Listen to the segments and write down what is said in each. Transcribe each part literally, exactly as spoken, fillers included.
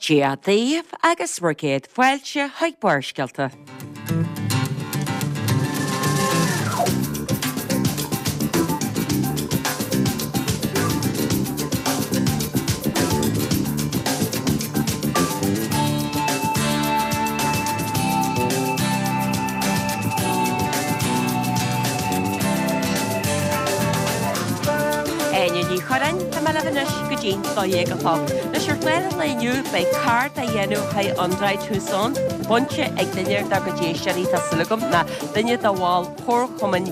Dia daoibh agus bhur gcéad fáilte chuig Barrscéalta. Áine Ní Churráin, tá mé libh anois go dtí dó dhéag a chlog. Anois ar chlár an lae inniu beidh carr á dhéanamh le haghaidh André Toussaint, bainte ag duine dár gcuid éisteoirí tá súil agam, ná duine de bhaill Chomharchumann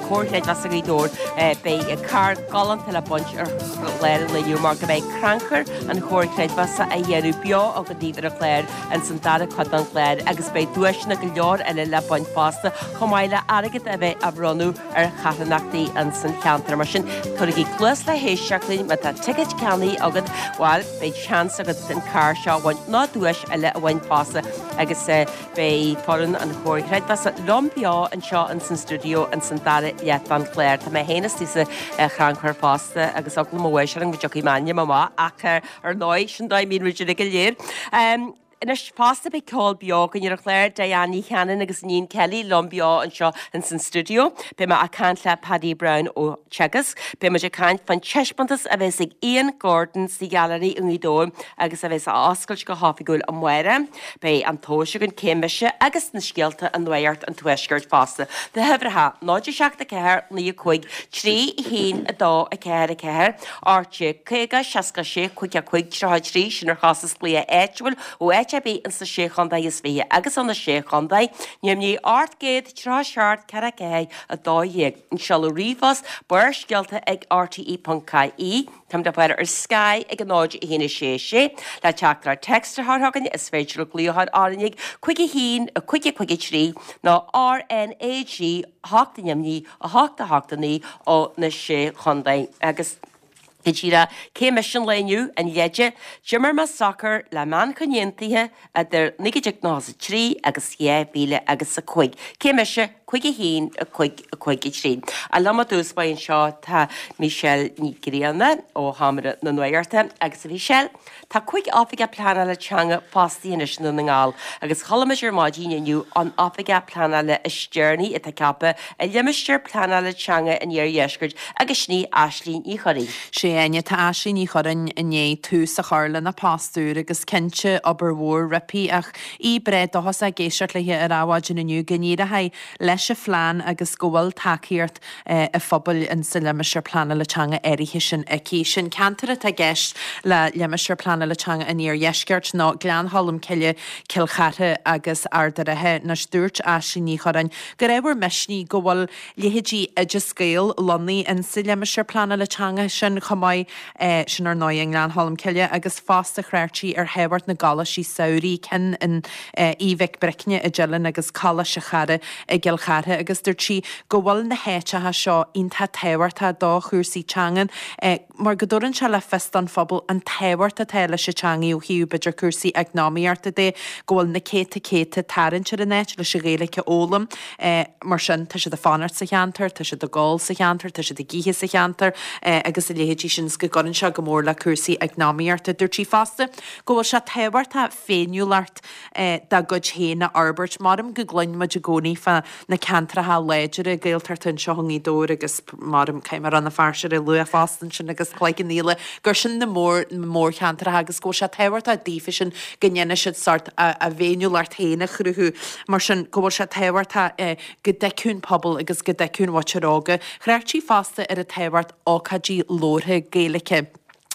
Chomhar Chreidmheasa Ghaoth Dobhair. Beidh carr galánta le baint ar chlár an lae inniu mar go mbeidh crannchur an Chomhar Creidmheasa á dhéanamh beo againn daoibh ar an chlár ins an dara cuid den chlár agus beidh duaiseanna go leor eile le baint fosta chomh maith le airgead a bheith á bhronnadh ar charthanachtaí ins an cheantar. Mar sin, tabhairigí cluas le héisteacht linn má tá ticéid ceannaithe agat, bhuel, beidh seans agat an carr seo a bhaint nó duais eile a bhaint fosta agus beidh foireann an Chomhar Chreidmheasa liom beo anseo ins an stiúideo ins an dara leath den chlár. Tá mé féin istigh sa chrannchur fosta agus eagla mo bháis orm go dtiocfaidh m'ainm amach ach ar ndóigh, sin dóigh a mbíonn muid uilig go léir. Anois fosta beidh ceol beo againn ar an chlár, Diane Ní Chanainn agus Iníon Kelly liom beo anseo ins an stiúideo. Beidh mé ag caint le Paddy Browne ó Teagasc. Beidh muid ag caint fán taispeántas a bheas ag Ian Gordon sa Ghailearaí i nGaoth Dobhair agus a bheas á oscailt go hoifigiúil amárach. Beidh an tomhas againn cé mise agus na scéalta i Nuacht an Tuaiscirt fosta. Na huimhreacha, náid a seacht a ceathair naoi a cúig trí a haon a dó a ceathair a ceathair, ocht déag caoga seasca sé cúig a cúig tríocha a trí, sin ar chostas glaoch áitiúil ó áit ar bith ins na Sé Chontae is Fiche agus ó na Sé Chontae, Neamhní ocht gcéad tríocha seacht ceathair ceathair a dó dhéag. An seoladh ríomhphost, Barrscéalta ag rte ponc ie. Táimid le fáil ar Sky ag a náid a haon a sé sé. Le teachtaireacht téacs a chur chugainn is féidir libh glaoch ar RnaG cúig a haon a cúig a cúig a trí nó RnaG a hocht a neamhní a hocht a hocht a naoi ó na Sé Chontae. Agus go díreach, cé mise an lae inniu, an leide, d'imir mé sacar le Manchain Aontaithe idir naoi déag nócha a trí agus dhá mhíle agus a cúig. Cé mise? Cúig a haon, a cúig, a cúig a trí. A liom i dtús báire anseo tá Michelle Ní Ghrianna ó Sheomra na Nuachta agus a Mhichelle, tá cúig oifigeach pleanála teanga fostaithe anois i nDún na nGall agus chuala muid ar maidin inniu an oifigeach pleanála is deireanaí atá ceaptha i limistéar pleanála teanga an Iardheiscirt agus sin í Aisling Ní Churraoin. Sé Áine, tá Aisling Ní Churraoin i ndiaidh tús a chur lena post úr agus cinnte obair mhór roimpi ach í breá dóchasach ag éisteacht léi ar Adhmhaidin inniu go n-éireoidh leis an phlean agus go bhfuil tacaíocht an phobail in sa limistéar pleanála teanga áirithe sin aici. Sin ceantar atá i gceist le limistéar pleanála teanga an Iardheiscirt ná Gleann Cholm Cille, Cill Chartha agus Ard an Rátha. Anois dúirt Aisling Ní Churraoin gur ábhar misnigh go bhfuil leithéidí Oideas Gael lonnaithe in sa limistéar pleanála teanga sin chomh maith, sin ar ndóigh i nGleann Cholm Cille, agus fosta thrácht sí ar thábhacht na gcoláistí samhraidh, ceann in Uíbh Mhic Bricne i dTeileann agus Coláiste Chara i gCill Chartha agus dúirt sí go bhfuil na háiteacha seo iontach tábhachtach do chúrsaí teangan mar go dtabharann sé le fios don phobal an tábhacht atá leis an teangaidh ó thaobh b'fhéidir cúrsaí eacnamaíochta de, go bhfuil na céadta céadta ag tarraingt ar an áit leis an Ghaeilge a fhoghlaim. Mar sin tá siad ag fanacht sa cheantar, tá siad ag ól sa cheantar, tá siad ag ithe sa cheantar agus a leithéidí sin is go gcuireann sé go mór le cúrsaí eacnamaíochta. Dúirt sí fosta go bhfuil sé tábhachtach féiniúlacht dá gcuid féin a fhorbairt. Maram go gcluin muid i gcónaí fá na ceantracha láidire Gaeltachta anseo i nGaoth Dobhair agus maram caithfidh mé Rann na Feirste a lua fosta ansin agus Cloich Cheann Fhaola gur sin na mór mórcheantracha agus go bhfuil sé tábhachtach daofa sin go ndéanfaidh siad sórt a a bhféiniúlacht féin a chruthú. Mar sin go bhfuil sé tábhachtach go dtuigfeadh an pobal agus go dtuigfeadh an mhuintir óga. Thrácht sí fosta ar an tábhacht ócáidí labhartha Gaeilge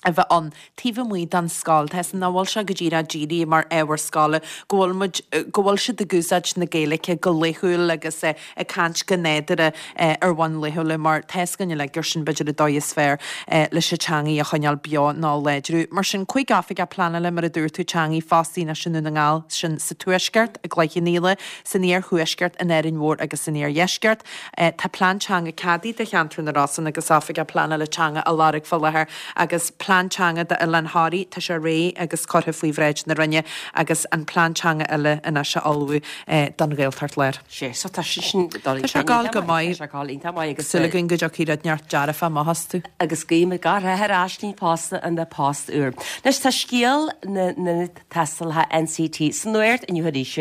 a bheith ann taobh amuigh den scoil. Tá nach bhfuil sé go díreach dírithe mar ábhar scoile, go bhfuil muid, go bhfuil siad ag úsáid na Gaeilge go laethúil agus ag caint go nádúrtha ar bhonn laethúil mar tá 'fhios againn uilig gur sin b'fhéidir an dóigh is fearr leis an teangaidh a choinneáil beo nó a láidriú. Mar sin, cúig oifigeach pleanála, mar a dúirt tú, teangaidh fostaithe anois i nDún na nGall, sin sa Tuaisceart, i gCloich Cheann Fhaola, san Iarthuaisceart, in Árainn Mhór agus san Iardheisceart. Tá plean teanga ceadaithe do cheantar na Rosann agus oifigeach pleanála teanga á lorg fá láthair agus Plean Teanga d'Oileán Thoraí, tá sé réidh agus curtha faoi bhráid na Roinne agus an Plean Teanga eile anois á ullmhú don Ghaeltacht Láir. Sé, so tá sé sin dul Tá sé ag gabháil go maith. Tá sé ag gabháil iontach maith agus Súil againn go dtiocfaidh rud neart dearfach amach astu. Agus guím gach rath ar Aisling fosta ina post úr. Anois tá scéal na n-ionad tástála NCT sa nuacht inniu arís,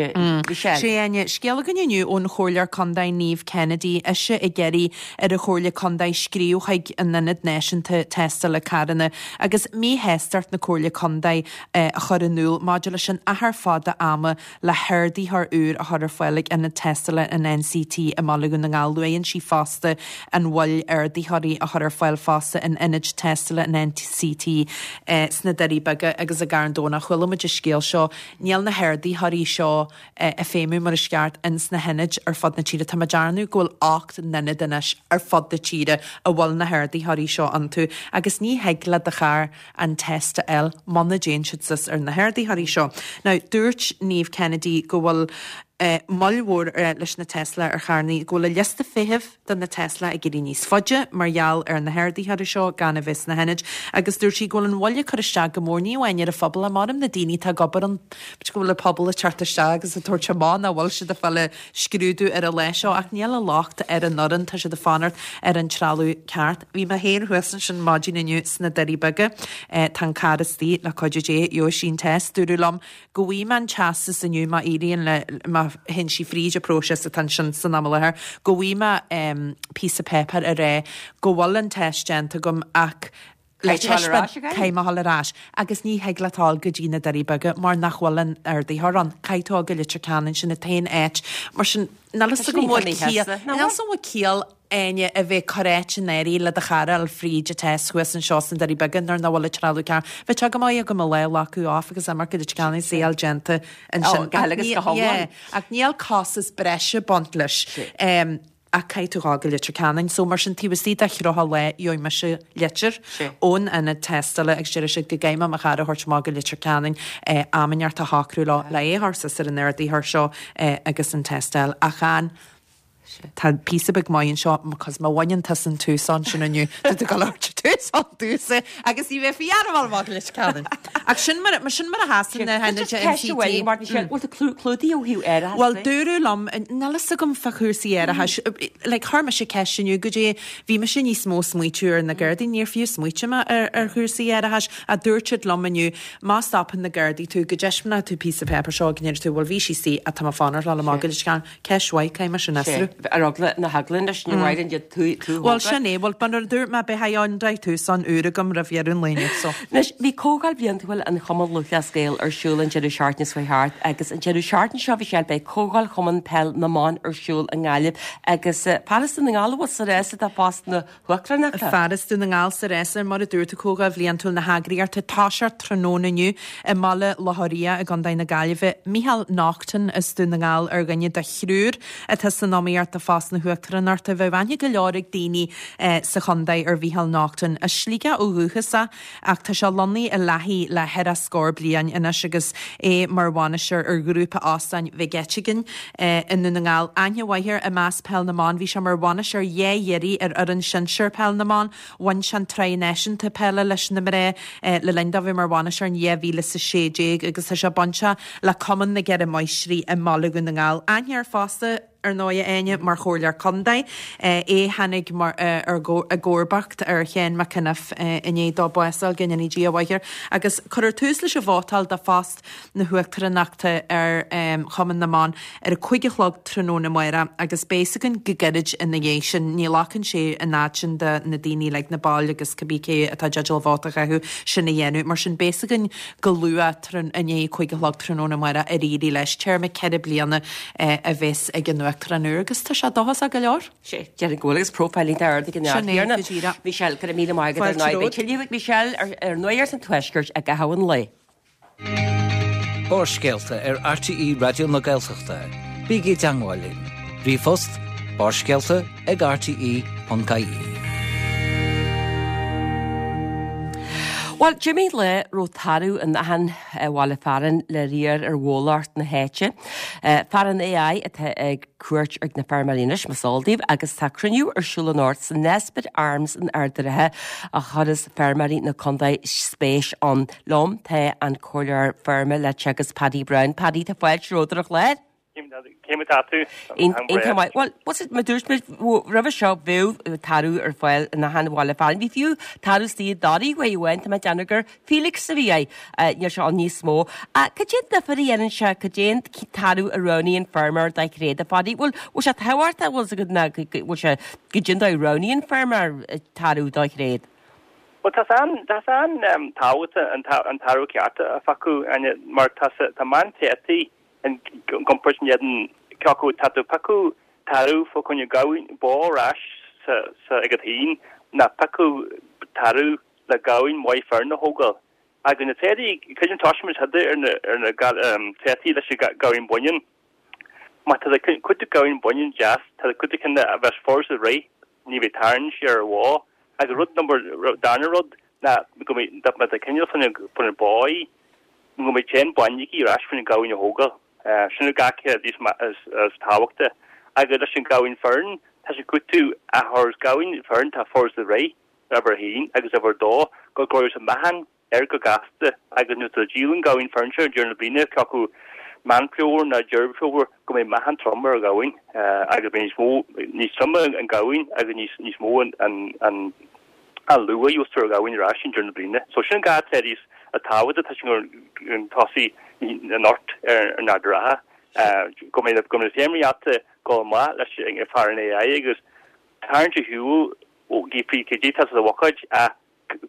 Michelle. Sé Áine, scéal againn inniu ón Chomhairleoir Contae Niamh Kennedy, ise ag iarraidh ar an Chomhairle Contae scríobh chuig an Ionad Náisiúnta Tástála Carranna agus míshástacht na Comhairle Contae a chur in iúl maidir leis an achar fada ama le hardaitheoir úr a chur ar fáil ag Ionad Tástála an NCT i mBaile Dhún na nGall. Luann sí fosta an mhoill ardaitheoirí a chur ar fáil fosta in Ionaid Tástála an NCT sna Doirí Beaga agus i gCarn Domhnach. Chuala muid an scéal seo. Níl na hardaitheoirí seo ag feidhmiú mar is ceart ins na hionaid ar fud na tíre. Tá mé ag dearnadh go bhfuil ocht n-ionad anois ar fud na tíre a bhfuil na hardaitheoirí seo iontu agus ní thig le do charr an test a fháil muna dtéann siad suas ar na hardaitheoirí seo. Now, dúirt Niamh Kennedy go bhfuil moill mhór leis na tástálacha ar charranna, go bhfuil an liosta feithimh do na tástálacha ag éirí níos faide mar gheall ar na hardaitheoirí seo gan a bheith sna hionaid agus dúirt sí go bhfuil an mhoill ag cur isteach go mór ní amháin ar an phobal ach measaim na daoine atá ag obair ann, b'fhéidir go bhfuil an pobal ag teacht isteach agus ag tabhairt amach nach bhfuil siad ag fáil an scrúdú ar an lá seo ach níl an locht ar an fhoireann, tá siad ag fanacht ar an trealamh ceart. Bhí mé féin thuas ansin maidin inniu sna Doirí Beaga, tá an carr istigh le cuidiú Dé, gheobhaidh sí an test, dúradh liom go bhfaighidh mé an teastas inniu má éiríonn le, má théann sí fríd an próiseas atá ansin san am i láthair, go bhfaighidh mé píosa páipéir a rá go bhfuil an test déanta agam ach le taispeáint caithfidh mé a dhul ar ais agus ní thig leat dul go dtí na Doirí Beaga mar nach bhfuil an ardaitheoir ann. Caithfidh tú dul go Leitir Ceanainn, sin an t-aon áit. Mar sin, níl a fhios agam an bhfuil ciall, níl a fhios agam an bhfuil ciall Áine a bheith ag cur áit in áirithe le do charr a fháil fríd an test thuas anseo sna Doirí Beaga nuair nach bhfuil an trealamh ceart. Bheadh sé go maith agam mo lá a ghlacadh off agus imeacht go Leitir Ceanainn is é a fháil déanta ansin. Go huile agus go hiomlán. Yeah, ach níl costas breise ag baint leis. Ach caithfidh tú dhul go Leitir Ceanainn. So mar sin taobh istigh de thríocha lá gheobhaidh mise litir ón ionad tástála agus déarfaidh siad go gcaithfidh mé mo charr a thabhairt amach go Leitir Ceanainn am inteacht a shocrú leo le é a chur suas ar an ardaitheoir seo agus an test a fháil. Ach an Tá píosa beag maith anseo because má bhaineann tusa an t-uasán sin inniu tá tú ag dul a thabhairt an t-uasán domhsa agus ní bheifí ar bhfuil amach leis Ceanainn. Ach sin mar mar sin mar a sheasann na hionaid Ceist amháin, Martin, sin, bhfuil tú clúdaithe ó thaobh árachais Bhuel, dúradh liom, níl fhios agam fá chúrsaí árachais, like chuir mise ceist inniu goidé bhí mise níos mó smaoitiú ar na Gardaí, níor fiú smaoitigh mé ar ar chúrsaí árachais ach dúirt siad liom inniu má stopann na Gardaí tú go dtaispeánfaidh tú píosa páipéir seo go ndéarfaidh tú bhuel bhí sí istigh ach tá mé ag fanacht le dhul amach go Leitir Ceanainn. Ceist mhaith, caithfidh mé sin a fhiosrú. Ar eagla na heagla anois, ní mhaireann iad tú tú Bhuel, sin é, bhuel, mar a dúirt mé, beidh Hyundai Tucson úr agam roimh dheireadh an lae inniu, so. Anois, bhí Comhdháil Bhliantúil an Chumann Lúthchleas Gael ar siúl an deireadh seachtaine seo thart agus an deireadh seachtaine seo, Michelle, beidh Comhdháil Chumann Peil na mBan ar siúl i nGaillimh agus fear as Dún na nGall a bhfuil sa rás do phost na huachtaránachta. Fear as Dún na nGall sa rás, mar a dúirt tú, Comhdháil Bhliantúil na heagraíochta ag toiseacht tráthnóna inniu i mBaile Locha Riach i gContae na Gaillimhe. Micheál Naughton as Dún na nGall ar dhuine de thriúr atá san iomaíocht do phost na huachtaránachta. Bheadh aithne go leor ag daoine sa chontae ar Mhícheál Naughton. As Sligeach ó dhúchas é ach tá sé lonnaithe i Lathaí le ceithre scór bliain anois agus é mar bhainisteoir ar ghrúpa óstáin Mhig Eiteagáin i nDún na nGall. Aithne mhaith air i measc peil na mban. Bhí sé mar bhainisteoir dhá iarraidh ar fhoireann sinsir peil na mban. Bhain sé an tSraith Náisiúnta Peile leis na mná le linn dó bheith mar bhainisteoir in dhá mhíle is a sé déag agus tá sé bainteach le Cumann na gCeithre Máistrí i mBaile Dhún na nGall. Aithne air fosta, ar ndóigh, a Áine, mar Chomhairleoir Contae. É a tháinig mar i gcomharbacht ar Sheán McEniff i ndiaidh dó bás a fháil, go ndéana Dia a mhaith air. Agus cuirfear tús leis an vótáil do phost na huachtaránachta ar Chumann na mBan ar a cúig a chlog tráthnóna amárach agus beidh fhios againn go gairid ina dhiaidh sin. Ní ghlacann sé an fhad sin do na daoine like na baill agus cibé cé atá i dteideal vóta a chaitheamh sin a dhéanamh. Mar sin beidh fhios againn go luath i ndiaidh a cúig a chlog tráthnóna amárach ar éirigh leis. Téarma ceithre bliana a bheas ag an Uachtarán úr agus tá sé dóchasach go leor. Sea, déarfainn go bhfuil agus profile iontach ard ag an Sin é, Tiarna. go díreach. Michelle, go raibh míle maith agat ar Fáilte ndóigh. Beidh romhat. tuilleadh ag Michelle ar ar Nuacht an Tuaiscirt i gcaitheamh an lae. Barrscéalta ar RTÉ Raidió na Gaeltachta. Bígí i dteagmháil linn. Ríomhphost, barrscéalta ag rte ponc ie. Bhuel, d'imigh lá a raibh tarbh in achan bhaile fearainn le riar ar bhólacht na háite. Fear an AI atá ag cuairt ar na feirmeoirí anois, más eol daoibh, agus tá cruinniú ar siúl anocht san Nesbitt Arms in Ard an Rátha a chuireas feirmeoirí na contae spéis ann. Liom tá an comhairleoir feirme le Teagasc Paddy Browne. Paddy, tá fáilte romhat ar an chlár. Cé mar atá tú? Iontach maith. Bhuel, what's it, mar dúirt muid roimhe seo bheadh tarbh ar fáil in achan bhaile fearainn. Bhí fiú tarbh istigh i dToraigh uair amháin, tá mé ag déanamh gur Felix a bhí é, níl sé ann níos mó. Cad é an difear a dhéanann sé, cad é an tarbh a roghnaíonn feirmeoir dá thréad, a Phaddy? Bhfuil bhfuil sé tábhachtach, bhfuil agat ná bhfuil sé cad é an dóigh a roghnaíonn feirmeoir tarbh dá thréad? Bhuel, tá sé an tá sé an-tábhachtach an tarbh ceart a phiocadh, Áine, mar tá tá meántrátaí i gcomparáid in éadan cé acu tá tú ag piocadh tarbh fá choinne gamhain bó ar ais sa sa agat féin ná piocadh tarbh le gamhain mhaith fireann a thógáil. Agus na tréadaí, creidim toisíonn muid ar na ar na tréadaí leis an gamhain baineann. Má tá cuid de gamhain baineann deas, tá cuid de cinn a bheas furast a rith, ní bheidh tarraingt siar ar an bhó. Agus rud number darna rud ná go mbeidh má tá cineál fá choinne bó í, go mbeidh teann bainne aici ar ais faoin gamhain a thógáil. Sin an dhá cheann is is tábhachtaí. Agus leis an gamhain fireann, tá sé cúiteamh a chur gamhain fireann tá furast a rith, uimhir a haon, agus uimhir a dó, go gcuirfeadh sé meáchan air go gasta agus nuair atá díol an gamhain fireann seo deireadh na bliana, cé acu Meán Fómhair ná Deireadh Fómhair, go mbeidh meáchan trom ar an ghamhain agus beidh níos mó, níos troime an gamhain agus níos níos mó an an an an luach a gheobhas ar an ghamhain ar ais i ndeireadh na bliana. So sin an dhá tréad is tábhachtaí atá sé chun tosaigh anocht ar an Ard an Rátha. Go mbeidh go mbeidh na feirmeoirí ábalta dul amach leis an fear an AI agus tarraingt ar shiúl ó faoi cad é atá sa bhuicéad ach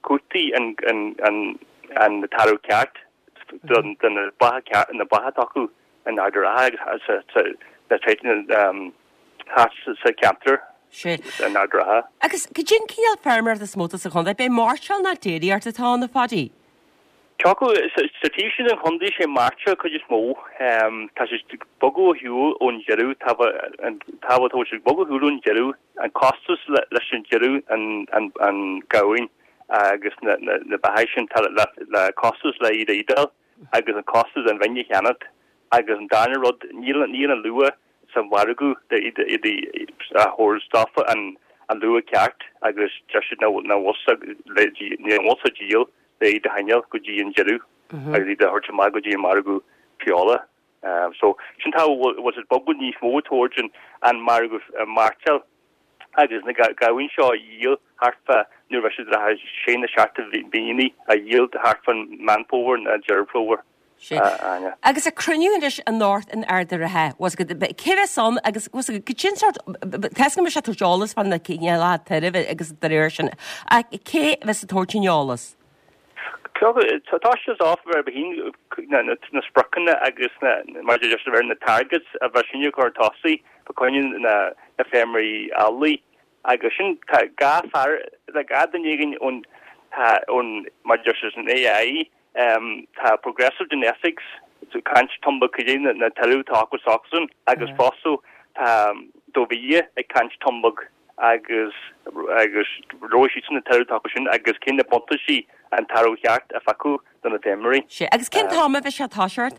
cúrsaí an an an an tarbh ceart do na beacha ceart na beacha atá acu in Ard an Rátha agus sa sa na tréithe thart sa cheantar in Ard an Rátha. Agus cad é an cineál feirmeoireachta is mó atá sa chontae? B'é mairteoil ná déiríocht atá ann, a Phaddy? Cé acu sa taobh sin den chontae sé mairteoil cuid is mó. Tá sé ag bogadh ar shiúl ón deireadh, tá an tá tá sé ag bogadh ar shiúl ón deireadh, an costas leis an deireadh an an an gamhain agus na na na beathaigh sin tá le le costas le iad a ídeáil agus an costas an bhainne a cheannacht agus an darna rud níl níl an luach sa mhargadh le iad iad a thabhairt daofa an an luach ceart agus deir siad nach nach bhfuil le ní bhfuil sa díol le iad a choinneáil go dtí an deireadh agus iad a thabhairt amach go dtí an margadh feola. Um, so sin tá bhfuil siad bogadh níos mó towards an an margadh mairteoil agus na gamhain seo a dhíol thart fá nuair a bheidh siad le sé nó seacht mhíonna a dhíol thart fán Meán Fómhair nó Deireadh Fómhair. Áine. Agus an cruinniú anois anocht in Ard an Rátha, cé bheas ann agus cad é an sórt tá go mbeidh sé ag tabhairt eolas fá na cineálacha tairbh agus de réir sin ach cé bheas ag tabhairt an eolas? Tá sé off ar bhín na spriocanna agus na mar just ar na targets a bheith sin chun tosaigh fá choinne na na feirmeoirí eallaigh agus sin tá dhá fear le dhá duine éigin ón ón mar just an AI um, tá Progressive Genetics caint tumba cad na, na tairbh atá acu s'acusan agus fosta tá Dovia ag caint tumbag agus agus roimh siad na tairbh atá acu sin agus cén na buntáistí an tarbh cheart a phiocadh do na feirmeoirí. Sé agus cén t-am a bheidh sé ag toiseacht?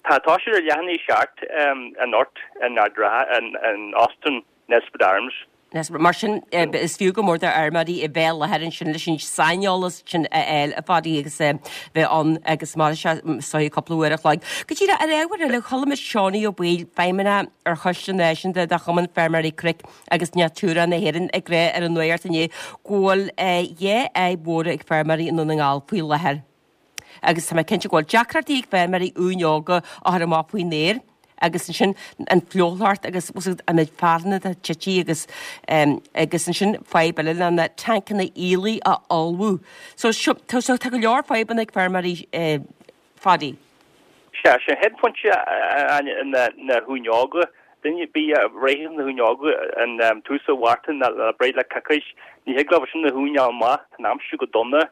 Tá tá sé ar leath i ndiaidh a seacht um, anocht in Ard an Rátha in, in Óstán Nesbitt Arms. Mar sin is fiú go mór do fheirmeoirí a bheith i láthair ansin leis an saineolas sin a fháil a Phaddy agus bheith ann agus mar sé so cúpla uair a chloig. Go dtí ar ábhar eile chuala muid Seánie Ó Baoill feidhmeannach ar Choiste Náisiúnta de Chumann Feirmeoirí Cnoic agus Natura na hÉireann ag rá ar an nuacht inné go bhfuil dhá fhadhb mhóra ag feirmeoirí i nDún na nGall faoi láthair. Agus tá mé cinnte go bhfuil deacrachtaí ag feirmeoirí uain óga a chur amach faoin aer. agus ansin an fliuchlocht agus an méid fearthainne atá tite agus um, agus ansin fadhb eile le na tancanna aoiligh a fholmhú. So, so, so tá go leor fadhbanna ag feirmeoirí eh, Phaddy. Sé sé chéad phointe na na huain óga duine bí réithe na huain óga an um, tús an Mhárta na le breith le coicís ní thig leo sin na huain amach tá an aimsir go dona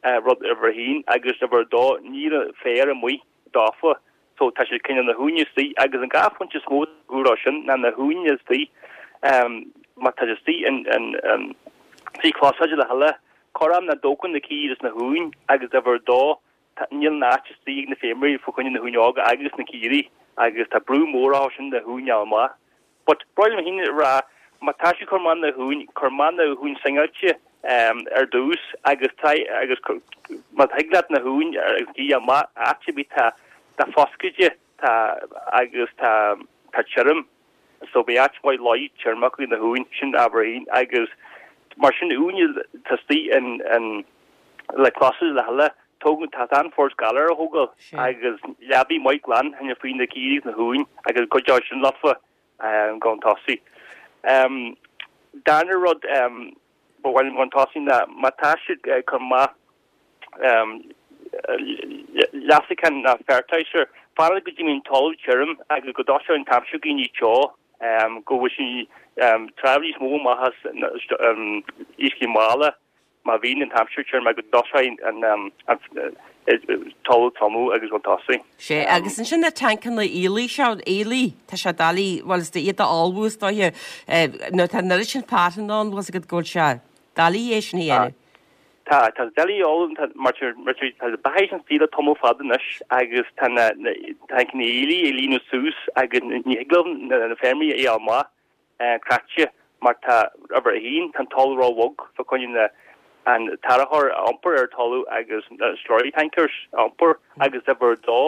uh, rud uimhir a haon agus uimhir a dó níl féar amuigh daofa so tá sé cineál na huain istigh agus an dhá phointe is mó rá sin ná na huain istigh um, má tá istigh in in um, trí chlásáide le heile Corram na dtógann na caoirigh is na huain agus uimhir a dó, níl an áit istigh ag na feirmeoirí fá choinne na huain óga agus na caoirigh agus tá brú mór orthu sin na huain a fháil amach. But ba mhaith liom féin a rá, má tá siad ag cur amach na huain, cuir amach na huain singeáilte ar dtús agus tá agus má thig leat na huain agus na caoirigh a fháil amach áit ar bith tá tá foscadh tá agus tá tá tirim so beidh áit mhaith luí tirim acu na huain sin uimhir a haon agus mar sin uain tá istigh in in le closadh le thuilleadh tógann tá an-fhorst galar a thógáil agus leabaí maith glan tháinig faoi na caoirigh is na huain agus cuid de sin lofa chun tosaigh. Darna rud ba mhaith liom chun tosaigh ná má tá siad ag cur amach leasachán ná fertilizer, fanacht go dtí mbíonn talamh tirim agus go dtoiseoidh an t-aimsir go ní teo go bhfuil sí tráth níos mó amach as uiscí malla má bhíonn an t-aimsir tirim agus go dtoiseoidh an talamh tiomú agus chun tosaigh. Sé, agus ansin na tancanna aoiligh seo, aoiligh, tá sé doiligh, bhuel is iad a ullmhú is dóiche, nuair atá an oiread sin fearthainn ann, bhfuil a fhios agat go bhfuil sé doiligh é sin a dhéanamh. Tá, tá doiligh a ullmhú, tá, mar tá, mar tá, tá beatha an saoil ag tamall fada anois agus tá na, na tancanna aoiligh ag líonadh suas agus ní thig leo na, na feirmeoirí a fháil amach cráite mar tá, uimhir a haon, tá an talamh ró-bhog fá choinne na, an t-árachóir a iompar ar talamh agus na slurry tankers a iompar agus uimhir a dó,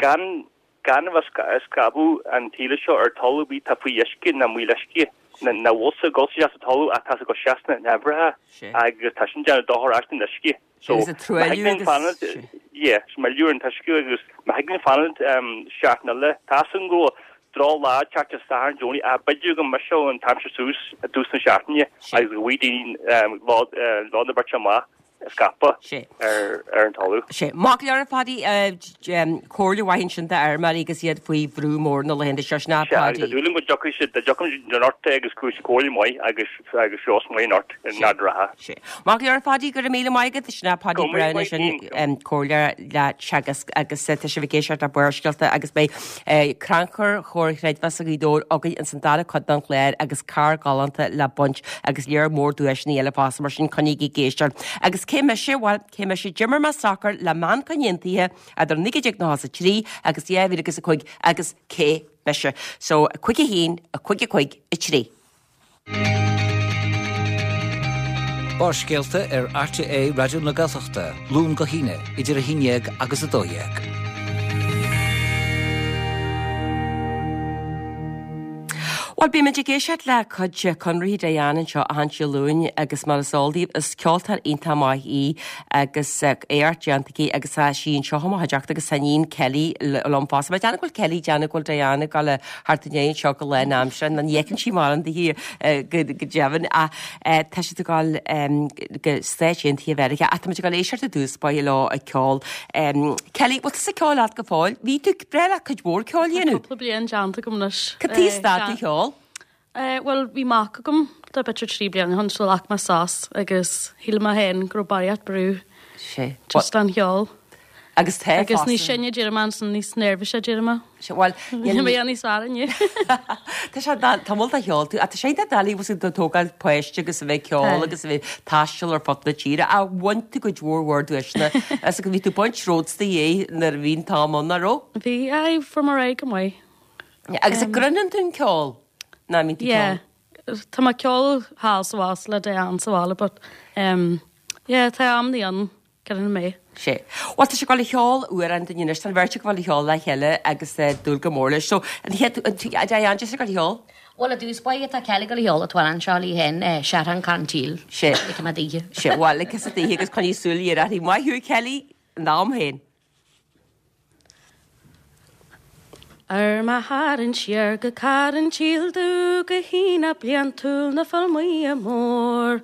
gan gan a bheith ag scaipeadh an taoille seo ar talamh ar bith atá faoi uisce ná maol uisce, nach bhfuil sé ag dul isteach sa talamh ach tá sé ag dul isteach sna haibhreacha agus tá sin déanamh dochar ais don uisce. So, Agus ag truailliú agus. Yeah, is milleadh ar an t-uisce agus má thig linn fanacht seachtain eile, tá a fhios agam go bhfuil droch lá ag teacht ar Satharn Domhnach ach b'fhéidir go mbriseadh an t-aimsir suas i dtús na seachtaine agus go bhfaighidh daoine lá lá na beirte amach a scaipeadh ar ar an talamh. Sé. Maith go leor a Phadaí, comhairle mhaith ansin d'fheirmeoirí agus iad faoi bhrú mór na laethanta seo, sin é Sé, agus Padaí. tá dúil agam go dtiocfaidh siad, go dtiocfaidh anocht agus go bhfuil comhairle maith agus agus feabhas maith anocht in Ard an Rátha. Sé. Maith go leor a Phadaí, go raibh míle maith agat, sin é Padaí Go raibh Browne míle sin maith agat. comhairleoir le Teagasc agus tá sibh ag éisteacht le Barrscéalta agus beidh crannchur Chomhar Chreidmheasa Ghaoth Dobhair againn ins an dara cuid den chlár agus carr galánta le baint agus léar mór duaiseanna eile fosta mar sin coinnígí ag éisteacht. Agus cé mise? Bhuel, cé mise? D'imir mé sacar le Manchain Aontaithe idir naoi déag nócha a trí agus dhá mhíle agus a cúig agus cé mise? So, a cúig a haon, a cúig a cúig, a trí. Barrscéalta ar RTÉ Raidió na Gaeltachta, Luan go hAoine, idir a haon déag agus a dó dhéag. Bhuel, bímid ag éisteacht le cuid conarthaí Diane anseo achan Dé Luain agus mar is eol daoibh, is ceoltóir iontach maith í agus éacht déanta aici agus tá sí anseo i mo chuideachta agus tá a níon Kelly liom fosta. Má déanamh go bhfuil Kelly déanamh go bhfuil Diane ag dul thart i ndiaidh anseo go lán aimsire, nó ní fheiceann sí mórán di go deimhin ach tá siad ag dul go Stáit Aontaithe Mheiriceá ach táimid ag dul éisteacht i dtús báire leo ag ceol. Kelly, bhfuil tusa ag ceol leat go fóill? Bhí tú breá leat cuid mhór ceoil a dhéanamh? Tá cúpla bliain déanta agam anois. Cad tuige stad tú ceol? Bhuel, bhí mac agam tá b'fhéidir trí bliana ó shin so ghlac mé sos agus shíl mé féin go raibh barraíocht brú just an cheol. Agus tá Agus fosta. níos sine d'éirigh mé ansin, níos neirbhíse d'éirigh mé. Sea, bhuel, Níl mé níos fearr inniu. Tá sé tá mol a cheol tú, ach tá sé iontach doiligh bhfuil tú ag tógáil páiste agus a bheith ag ceol Tá. agus a bheith ag taisteal ar fud na tíre, ach bhain tú cuid mhór mhór duaiseanna is go bhí tú ag baint ródsta é nuair a bhí an t-am ann, nach raibh? Bhí, aye, fuair mé ar aghaidh go maith. Agus an gcruinneann tú an ceol? Ná mbíonn tú ag Yeah. ceol? Tá mé ag ceol thall sa bhas le Diane sa bhaile, but um, yeah, tá am ní ann. Ceann mé. Sé. Bhuel, tá sé ag dul a cheol amhrán dúinn anois, tá an bheirt ag dul a cheol le chéile agus dúil go mór leis. So, an chéad, an Diane, just ag dul a cheol? Bhuel, i dtús báire tá Kelly ag dul a cheol an t-amhrán seo léi féin, Searrán Carn Tíl. Sé. Ligfidh mé daoithe. Sé, bhuel, ligfidh daoithe agus coinnigh súil ghéar uirthi. Maith thú, Kelly, in am féin. Ar mo tharraingt siar go Carn Tíl dubh go hAonach bliantúil na Feilméara Mór.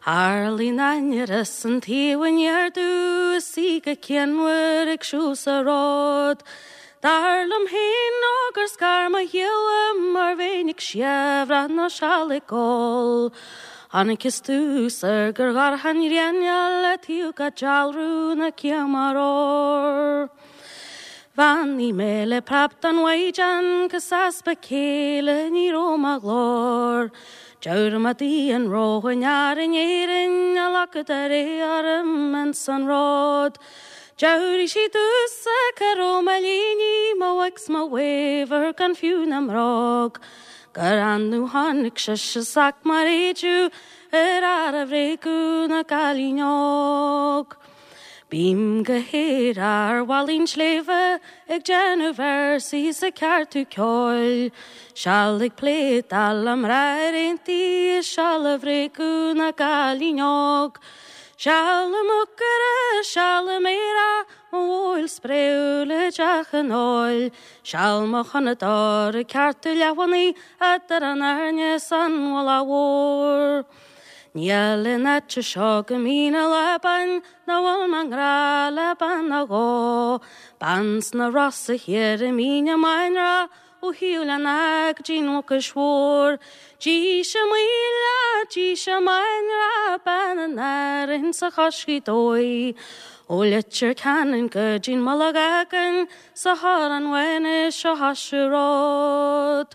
Tharlaigh an ainnir is an taobh aniar domh is í go cianmhar ag siúl sa ród. Dar liom féin nó gur scar mo ghiall uaim mar bheinn ag siabhradh nó seal ag gol. Chonaiceas dtús ar gur dhorcha an ghrian le taobh ga dealramh na céim ór. Bheannaigh mé le preab don mhaighdean 'gus easpa céille ní raibh mo ghlór. Deabhar an róin ar in Éirinn a lacadar é arm an san rod. Deabhraigh sí domhsa cá raibh mo léiní, mo wigs, mo waver gan fiú na mbróg. Gur annamh tháinig sise sac mar éidiú ar fhear a bhréagadh na gcailín óg. Bím go haer ar mhallaing sléibhe ag déanamh véarsaí is ag ceartú ceoil, Seal ag pléadáil le mná ar aontaí is seal a bhréagadh na gcailín óg. Seal i m'úcaire, seal i m'fhéara, mo mhóil spréúil i dteach an óil, Seal mo chonadóir ag ceartú leamhanaí eadar an airne 's an mhullach mhór. Níl in áit seo go mín a lábain ná bhfuil mo ngrá le bean nó dhó, Bean sna Rosa thiar i Mín na Máinreach ó Shiúil an Ádha go dtí'n Mhucais Mhór. Dís a Maoile, dís a Máinreach, bean an Árainn sa Chois Ghaoth Dobhair. Ó Leitir Ceanainn go dtí'n Mullach Eagain sa Chorrán Bháin is sa Chaiseal Ród.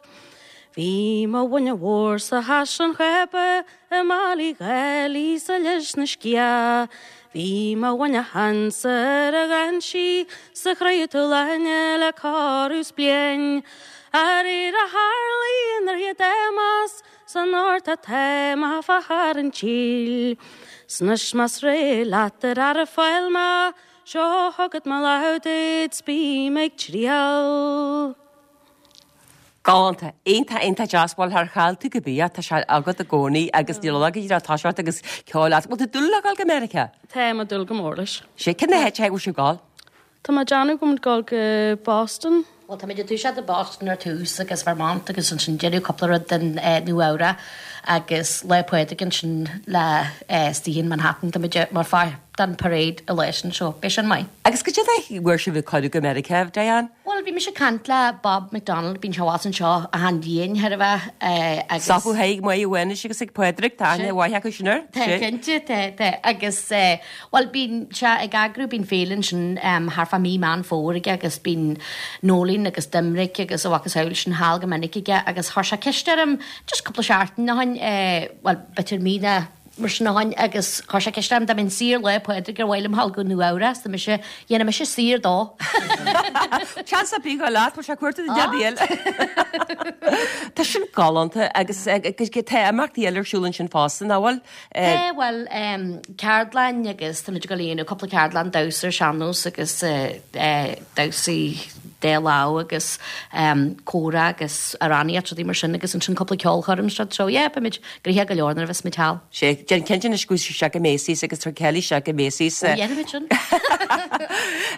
Bhí mo bhuinne mhór sa Chaisleán Chába i mBaile Uí Dhálaigh sa Lios na Sciath. Bhí mo bhuinne shansa ar a ghainsí sa Chraobh Láine le corradh 's bliain. Aréir a tharlaigh nuair hiad amas san ort atá má fáthar an tíl. Snas más ré leat ar ar a fáil má, seo chugat mo lámh duit 's bím ag triall. Galánta, iontach iontach deas, bhuel char chaill tú go bia, tá sé agat i gcónaí agus níl a fhios agat tá sé ort agus ceol leat. Bhfuil tú dúil le dul go Meiriceá? Tá mé dúil go mór leis. Sé cén áit a bhfuil sibh ag dul? Tá mé ag déanamh go bhfuil dul go Boston. Well tá muid ag toiseacht i Boston ar tús agus Vermont agus ansin déanamh cúpla rud den Nua Eabhrac agus Lá Pádraig ansin le istigh in Manhattan tá muid mar pháirt den parade i leis an seo beidh sin maith. Agus go dtí bhfuair sibh cuireadh go Meiriceá, Diane? Well bhí mise ag caint le Bob McDonald bíonn sé abhus anseo achan bhliain thar a bheith agus. Sopú thaidhg maith amháin agus ag Pádraig tá aithne mhaith acu sin air. Tá cinnte tá tá agus well bíonn sé ag eagrú bíonn féile ansin thart fá mí Meán Fómhair aige agus bíonn Noeleen agus Doimnic agus a mhacasamhail sin thall go minic aige agus chuir sé ceist orm just cúpla seachtain ó shin well b'fhéidir mí nó mar sin ó shin agus chuir sé ceist orm dá mbeinn saor Lá Pádraig ar mhaith liom dhul go Nua Eabhrac 's tá mise dhéanfaidh mise saor dó. Seans ar bith go leat bhfuil sé cuarta den deadíl. Tá sin galánta agus tá imeachtaí eile ar siúl ansin fosta nach bhfuil? Tá bhuel ceardlann agus tá muid ag dul a dhéanamh cúpla ceardlann damhsa ar sean-nós agus damhsaí dá lámh agus comhrá agus amhránaíocht rudaí mar sin agus ansin cúpla ceolchoirm seo so yeah beimid gnoitheach go leor nuair a bheas muid thall. Sé déan cinnte anois go bhfuil sé go Macy's agus tar Kelly sé go Macy's. Ó dhéanfaimid sin.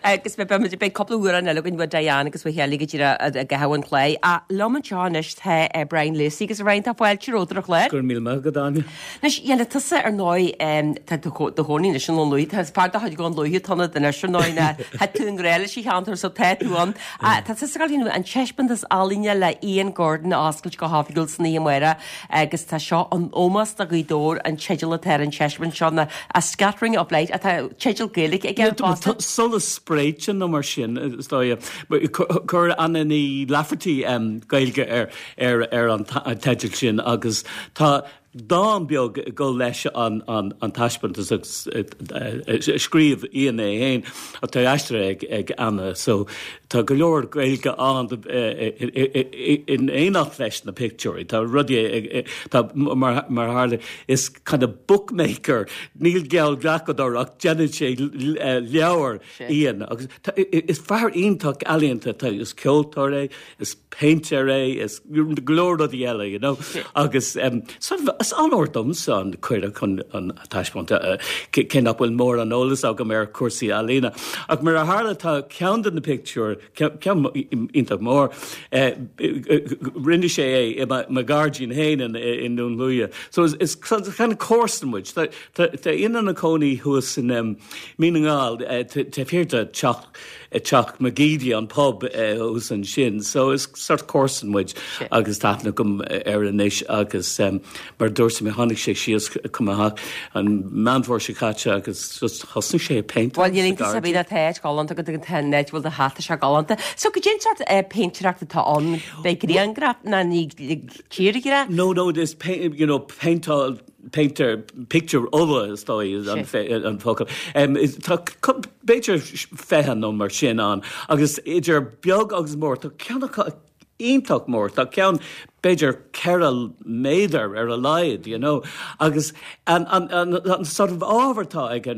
Agus beidh beidh cúpla amhrán eile againn uaidh Diane agus uaidh Shelley go dtí a gcaitheamh an chlé. A liom anseo anois tá Brian Lacey agus Brian tá fáilte romhat ar an chlár. Go raibh míle maith agat Áine. Anois dhéanamh tusa ar ndóigh tá do chónaí anois i nDún Lúiche, tá fear de chuid Dhún Lúiche tú anois ar ndóigh ná tá tú i ngrá leis an cheantar so tá tú ann. Tá tusa ag dul an taispeántas ealaíne le Ian Gordon a oscailt go hoifigiúil san oíche amárach agus tá seo in ómós do Ghaoth Dobhair an teideal atá ar an taispeántas seo ná A Scattering of Light atá teideal Gaeilge aige fosta. Solas spréite nó mar sin is dóigh. Chuir Anna Ní Lafferty Gaeilge ar ar ar an teideal sin agus tá dán beag ag dul leis an an an taispeántas agus scríobh Ian é féin atá aistrithe ag ag Anna so tá go leor Gaeilge ann in éineacht leis na pictiúirí Tá rudaí tá mar mar tharla is kind of bookmaker níl geallghlacadóir ach déanann sé leabhar Ian agus is fear iontach ealaíonta tá is ceoltóir é is painter é is go leor rudaí eile you know agus um, sort of is onóir domsa an cuireadh chun an taispeántas cé nach bhfuil mórán eolas agam ar cúrsaí ealaíne. Ach mar a tharla tá ceann de na pictiúir ceann iontach mór rinne sé é i mo ghairdín féin i nDún Lúiche. So is, is kind of comharsan muid. Tá Ian ina chónaí thuas in um, Mín na nGall taobh thiar de teach teach McGeady an pub thuas ansin. So is sort comharsan muid agus tá aithne agam air anois agus um, mar dúirt mé tháinig sé síos chun mo theach an Meán Fómhair seo caite agus just thosnaigh sé ag péinteáil Bhuel níl iontas ar bith tá áit galánta agat agus tá an áit bhfuil do theach tá sé galánta. So goidé an sórt péintéireacht atá ann beidh grianghraf ná ní tírghraf? No no this paint you know péinteáil painter picture ola is dóigh an an focal. Um, tá b'fhéidir fiche nó mar sin ann agus idir beag agus mór tá ceann acu iontach mór tá ceann b'fhéidir ceithre méadar ar a laghad you know agus an, an, an, an sort of ábhar atá aige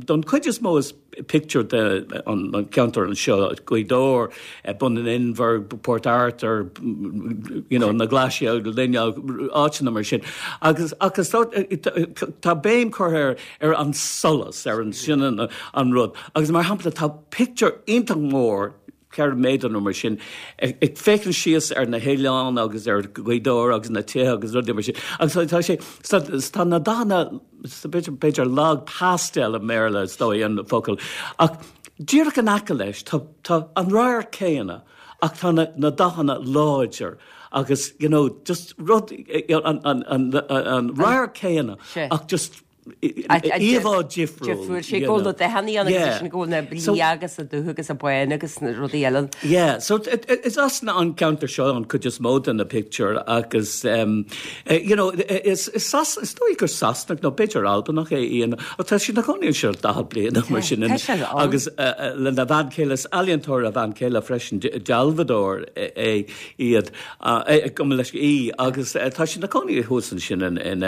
don chuid is mó is picture de an, an ceantar anseo Gaoth Dobhair eh, Bun an Inbhir Port Arthur you know na Glaise linne áiteanna mar sin agus agus tá tá béim curtha ar ar an solas ar an sin an, an rud agus mar shampla tá picture iontach mór ceithre méadar nó mar sin ag féachaint síos ar na hoileáin agus ar Ghaoth Dobhair agus na tithe agus rudaí mar sin agus tá sé tá na dathanna b'fhéidir lag pastel i mBéarla is dóigh an focal ach díreach in aice leis tá tá an radharc céanna ach tá na, na dathanna láidir agus you know just rud an an an an radharc céanna ach just íomhá difriúil. Difriúil sé go na dathanna ann agus sin go na liath agus a dubh agus a bán agus na rudaí eile. Yeah, so is as an ceantar seo an chuid is mó de na picture agus um, you know is is sas is dóigh gur Sasanach nó b'fhéidir Albanach é Ian tá sé ina chónaí anseo daichead bliain mar sin agus lena bhean chéile is ealaíontóir a bhean chéile freisin dealbhadóir é iad go leis í agus tá sé ina chónaí thuas ansin in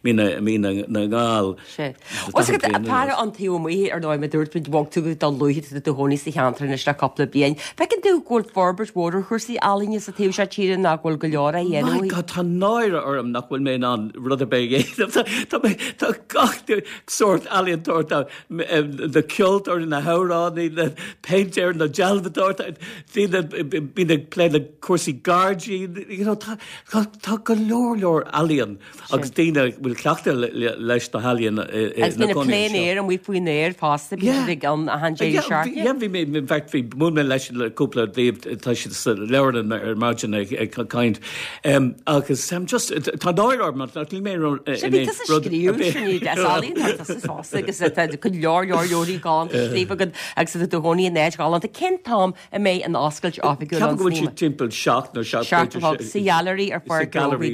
Mín na nGall. Sé. Os go para an taobh amuigh ar ndóigh mar dúirt muid bhog tú go luath i do chónaí sa cheantar anois le cúpla bliain. Feiceann tú go bhfuil forbairt mhór ar chúrsaí ealaíne sa taobh seo tíre ná go bhfuil go leor á dhéanamh. My God, tá náire orm nach bhfuil mé in ann rud ar bith a dhéanamh. Tá mé tá gach sórt ealaíontóir tá na ceoltóirí na hamhránaí na péintéir na dealbhadóir daoine bíonn ag plé le cúrsaí gairdín you know, tá tá go leor leor ealaíon agus daoine bhfuil cleachtadh leis na healaíona Agus bíonn plein air amuigh faoin aer fosta bíonn siad ag an achan deireadh seachtaine. Yeah, bhí mé in fact bhí mún mé leis le cúpla díobh tá siad sa leabharlann ar maidin ag ag caint agus just tá náire orm nach níl mé in Sea, bhí tusa ag scríobh sin iad as ealaíon tá tusa fosta agus tá go leor leor leoraí galánta scríofa agat agus tá do chónaí in áit ghalánta. Cén t-am a mbeidh an oscailt oifigiúil ann? Ceapaim go bhfuil siad timpeall seacht nó seacht Seacht a chlog sa Gheallery ar Sa Gheallery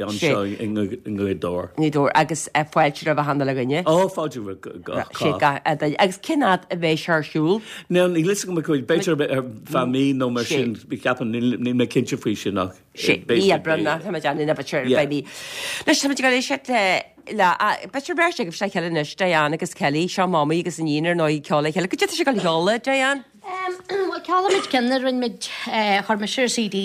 anseo i nGaoth Dobhair. Ngaoth Dobhair agus fáilte roimh achan uile dhuine. Ó, fáilte roimh gach Sé gach duine. Agus cén fhad a bheidh sé ar siúl? Níl a fhios agam b'fhéidir ar feadh mí nó mar sin, ceapaim, níl mé cinnte faoi sin ach Sé mí Aibreán ná tá mé déanamh na b'fhéidir beidh mí. Anois tá muid ag dul éisteacht le b'fhéidir beirt agaibh le chéile anois, Diane agus Kelly, seo mamaí agus iníon ar ndóigh ag ceol le chéile. Goidé tá sibh ag dul a cheol, Diane? Bhuel, ceolfaimid ceann a rinne muid, chuir mise ar CD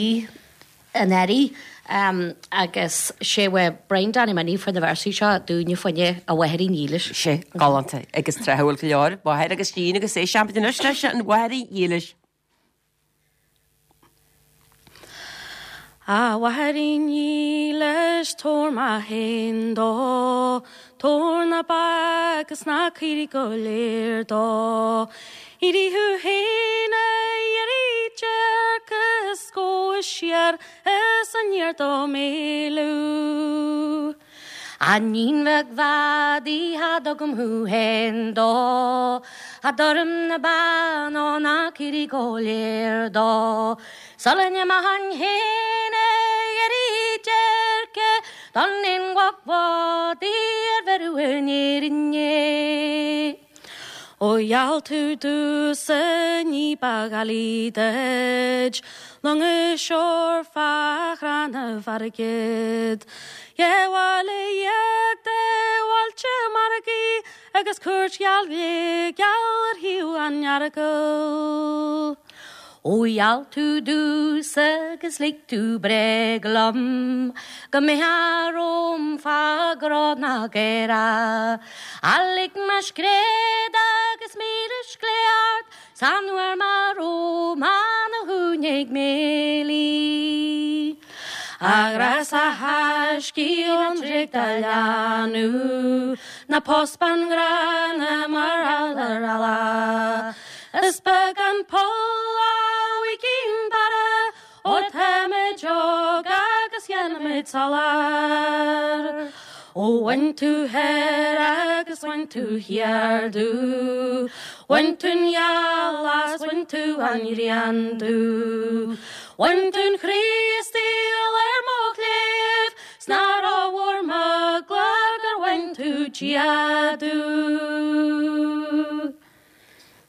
anuraidh agus sé uaidh Brian Danny Minnie fuair na véarsaí seo dúinne fá choinne A Mháithrín Dhílis. Sé, galánta agus tráthúil go leor, máthair agus iníon agus éistfimid anois leis an Mháithrín Dhílis. A Mháithrín Dhílis, tabhair mé féin dó, Tabhair na ba agus na caoirigh go léir dó. Éirigh thú féin a iarraidh déirce is gabh siar is aniar do m'éalú. A 'níon bheag mhadaidh cha dtugaim thú féin dó, Cha dtabharfainn na ba ná na caoirigh go léir dó. Sula n-imeochainn féin a iarraidh déirce don aon mhac mhadaidh ar bheireadh in Éirinn é. Ó gheall tú domhsa ní ba ghealaí duit, long is seor fá chrannaibh airgid. Dhá bhaile dhéag de bhailte margaidh agus cúirt gheal ghéigeal ar thaobh an Earagail. Ó gheall tú domhsa agus lig tú bréag liom go mbeifeá romham fá gcró na gcaorach. A lig mé scréad agus míle scléip ort san uair mar raibh mé na húine ag méilí. A ghrásta thaiscidh an dréig do leanadh, ná pós bean ghránna mar gheall ar eallach. Is beag an poll a bhfuiginn para, óir táimid óg agus dhéanaimid soiléir. Ó bhain tú thoir agus bhain tú thiar domh, Bhain tú'n ghealach 's bhain tú an ghrian domh. Bhain tú'n Chríostaíl ar mo chléibh, 's nach rómhór m'eagla gur bhain tú Dia domh.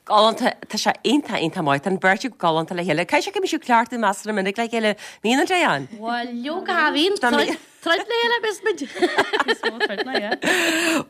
Galánta, tá sé iontach iontach maith, tá an bheirt acu galánta le chéile. Caithfidh sé go mbíonn sibh cleachtaithe measartha minic le chéile, mbíonn an Diane? Bhuel, leoga, bhíonn troid troid le chéile bes muid. Is mó troid ná, yeah.